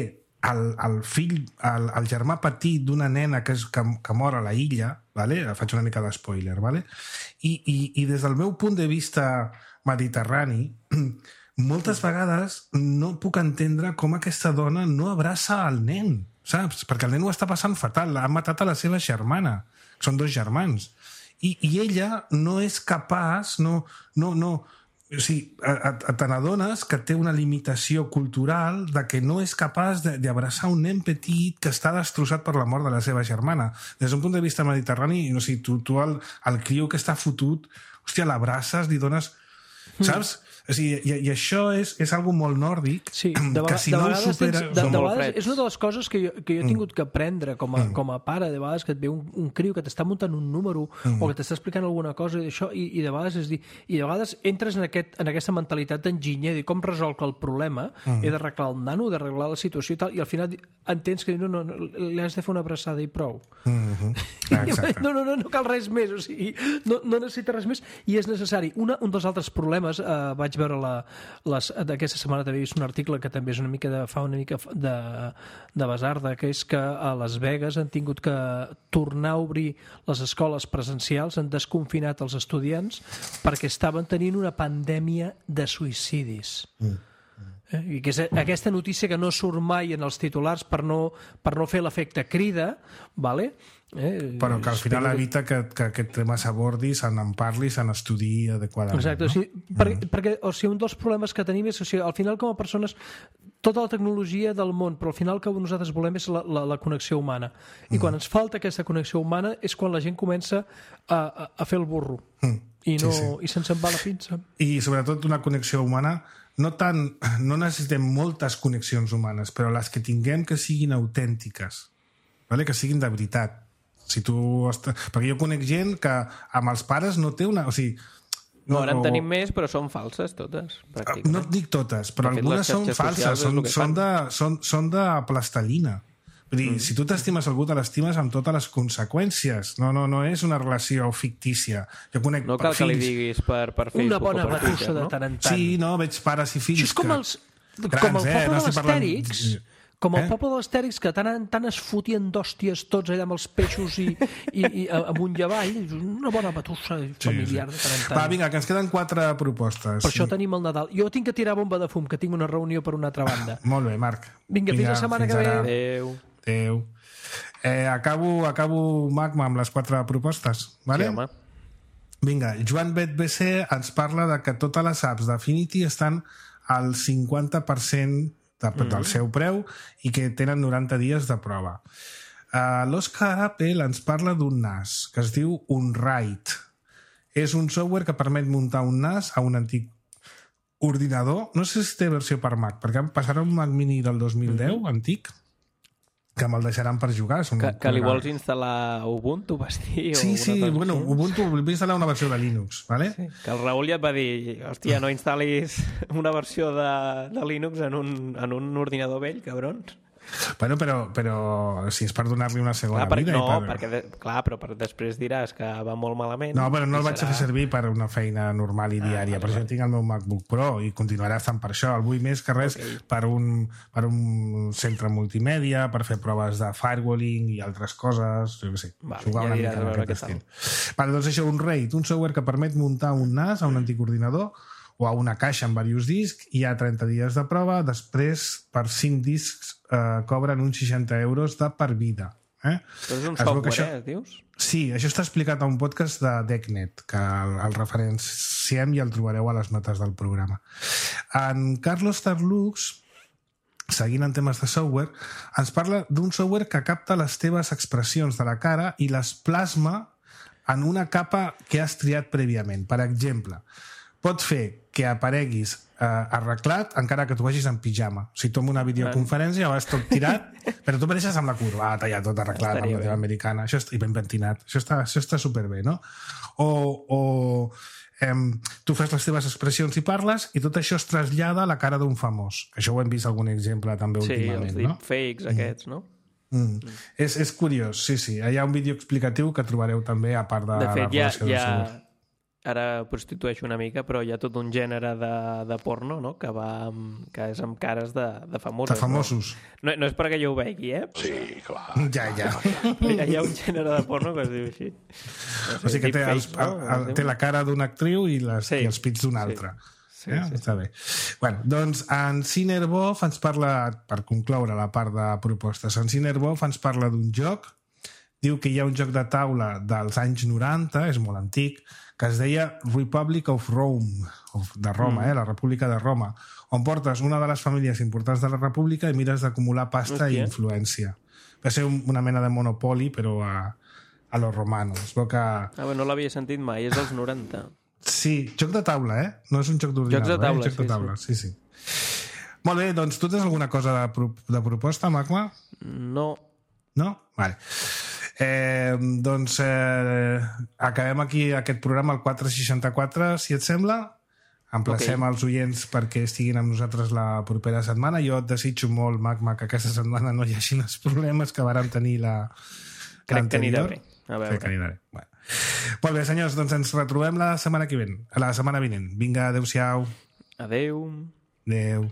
el, el fill, el, el germà petit d'una nena que, és, que, que mor a la illa, vale? Faig una mica d'espoiler, vale? I, i, i des del meu punt de vista mediterrani, moltes vegades no puc entendre com aquesta dona no abraça el nen, saps? Perquè el nen ho està passant fatal, ha matat a la seva germana, són dos germans, i, i ella no és capaç, no, no, no, o sigui, te n'adones que té una limitació cultural de que no és capaç d'abraçar un nen petit que està destrossat per la mort de la seva germana. Des d'un punt de vista mediterrani, no sé, tu, tu el, el criu que està fotut, hòstia, l'abraces, li dones... Saps? O sigui, i, i això és, és algo molt nòrdic, sí, de que si no ho supera... Tens, de, de vegades és una de les coses que jo, que jo he tingut que aprendre com a, mm. com a pare, de vegades que et ve un, un criu que t'està muntant un número mm. o que t'està explicant alguna cosa i, això, i, i de vegades és dir, i de vegades entres en, aquest, en aquesta mentalitat d'enginyer, de com resolc el problema, mm. he d'arreglar el nano, d'arreglar la situació i tal, i al final entens que no, no, no, li has de fer una abraçada i prou. Mm-hmm. Ah, no, no, no, no cal res més, o sigui, no, no necessita res més i és necessari. Una, un dels altres problemes, eh, vaig veure la, les, aquesta setmana també he vist un article que també és una mica de, fa una mica de, de basarda, que és que a Las Vegas han tingut que tornar a obrir les escoles presencials, han desconfinat els estudiants perquè estaven tenint una pandèmia de suïcidis. Mm. Eh? I que és aquesta notícia que no surt mai en els titulars per no, per no fer l'efecte crida, vale? Eh, però que al final evita que, que aquest tema s'abordi, se n'en parli, se n'estudiï adequadament. Exacte, no? O sigui, per, mm. perquè o sigui, un dels problemes que tenim és o sigui, al final com a persones tota la tecnologia del món, però al final el que nosaltres volem és la, la, la connexió humana i mm. quan ens falta aquesta connexió humana és quan la gent comença a, a, a fer el burro mm. i, no, sí, sí. i se'ns en va la pinça. I sobretot una connexió humana no, tant, no necessitem moltes connexions humanes, però les que tinguem que siguin autèntiques, vale? Que siguin de veritat. Si tu est... Perquè jo conec gent que amb els pares no té una... O sigui, no, ara en o... tenim més, però són falses totes, pràcticament. No et dic totes, però de algunes són falses, són, són, de, són, són de plastelina. Vull dir, mm. si tu t'estimes algú, te l'estimes amb totes les conseqüències. No, no, no és una relació fictícia. Jo conec no cal fills... que li diguis per, per Facebook una bona o per batussa Twitter, de no? tant en tant. Sí, no, veig pares i fills Això és com, els, que... com el Grans, poble eh? de l'Astèrix... Parlant... Com el eh? poble de l'Astèrix, que tant en tant es fotien d'hòsties tots allà amb els peixos i, i, i amunt i avall. Una bona batussa familiar sí, sí. de tant en tant. Va, vinga, que ens queden quatre propostes. Per això tenim el Nadal. Jo tinc que tirar bomba de fum, que tinc una reunió per una altra banda. Molt bé, Marc. Vinga, fins la setmana que ve. Adéu. Adéu. Eh, acabo, acabo, Magma, amb les quatre propostes. Vale? Sí, home. Vinga, Joan Bet B C ens parla de que totes les apps d'Affinity estan al cinquanta per cent de, mm. del seu preu i que tenen noranta dies de prova. Uh, L'Òscar Apple ens parla d'un N A S que es diu Unwrite. És un software que permet muntar un N A S a un antic ordinador. No sé si té versió per Mac, perquè em passarà un Mac Mini del dos mil deu, mm-hmm. antic, que me'l deixaran per jugar. Que, que li vols instal·lar Ubuntu, vas dir? Sí, sí, bueno, Ubuntu vull instal·lar una versió de Linux, ¿vale? Sí, que el Raül ja et va dir, hòstia, no instal·lis una versió de, de Linux en un, en un ordinador vell, cabrons. Bueno, però, però si és per donar-li una segona clar, per, vida... No, per... perquè, de, clar, però per després diràs que va molt malament. No, però no el vaig serà... a fer servir per una feina normal i diària. Ah, vale, per això vale. Tinc el meu MacBook Pro i continuarà estant per això. El vull més que res okay. per, un, per un centre multimèdia, per fer proves de firewalling i altres coses, jo què sé, vale, jugar ja una mica en aquest estil. Vale, doncs això, un RAID, un software que permet muntar un N A S a un antic ordinador o a una caixa amb diversos discs, hi ha trenta dies de prova, després per cinc discs eh, cobren uns seixanta euros de per vida. Eh? Però és un Es veu software, que això- eh, dius? Sí, això està explicat a un podcast de DeckNet, que el, el referenciem i el trobareu a les notes del programa. En Carlos Tarlux, seguint en temes de software, ens parla d'un software que capta les teves expressions de la cara i les plasma en una capa que has triat prèviament. Per exemple, pot fer que apareguis eh, arreglat encara que tu vagis en pijama. O sigui, tu en una videoconferència vas tot tirat, però tu apareixes amb la corbata, ja tot arreglat, Estaria amb la bé. teva americana, això està, i ben pentinat. Això està, això està superbé, no? O, o em, tu fas les teves expressions i parles i tot això es trasllada a la cara d'un famós. Això ho hem vist algun exemple també Sí, últimament, els no? deepfakes aquests, no? Mm. És, és curiós, sí, sí. Hi ha un vídeo explicatiu que trobareu també a part de, De fet, la ja, relació del ja software. ara prostitueixo una mica, però hi ha tot un gènere de, de porno, no?, que va amb, que és amb cares de, de famosos. De famosos. No? No, no és perquè jo ho vegi, eh? Sí, clar. Ja, ja. Hi ha, hi ha un gènere de porno que es diu així. O sigui que té, els, el, el, té la cara d'una actriu i, les, Sí, i els pits d'una sí. altra. Sí, eh? sí. Està bé. Bueno, doncs en Cinerbov ens parla, per concloure la part de propostes, en Cinerbov ens parla d'un joc, diu que hi ha un joc de taula dels anys noranta, és molt antic, que es deia Republic of Rome, of, de Roma, mm. eh? La República de Roma, on portes una de les famílies importants de la República i mires d'acumular pasta i Hòstia. influència. Va ser un, una mena de Monopoly, però a, a los romanos. Es veu que... Ah, bé, no l'havia sentit mai, és dels noranta. Sí, joc de taula, eh? No és un joc d'ordinador, Jocs de taula, eh? Joc de sí, taula, sí, sí. Molt bé, doncs tu tens alguna cosa de, pro de proposta, Magma? No. No? Vale. Eh, doncs eh, acabem aquí aquest programa, el quatre seixanta-quatre, si et sembla. Emplacem Ok. els oients perquè estiguin amb nosaltres la propera setmana. Jo et desitjo molt, Magma, que aquesta setmana no hi hagi els problemes que vàrem tenir la Crec que anirà l'anterior. bé. A veure. Crec que anirà bé. Bueno. Molt bé, senyors, doncs ens retrobem la setmana que ven, la setmana vinent. Vinga, adeu-siau. Adeu. Adeu.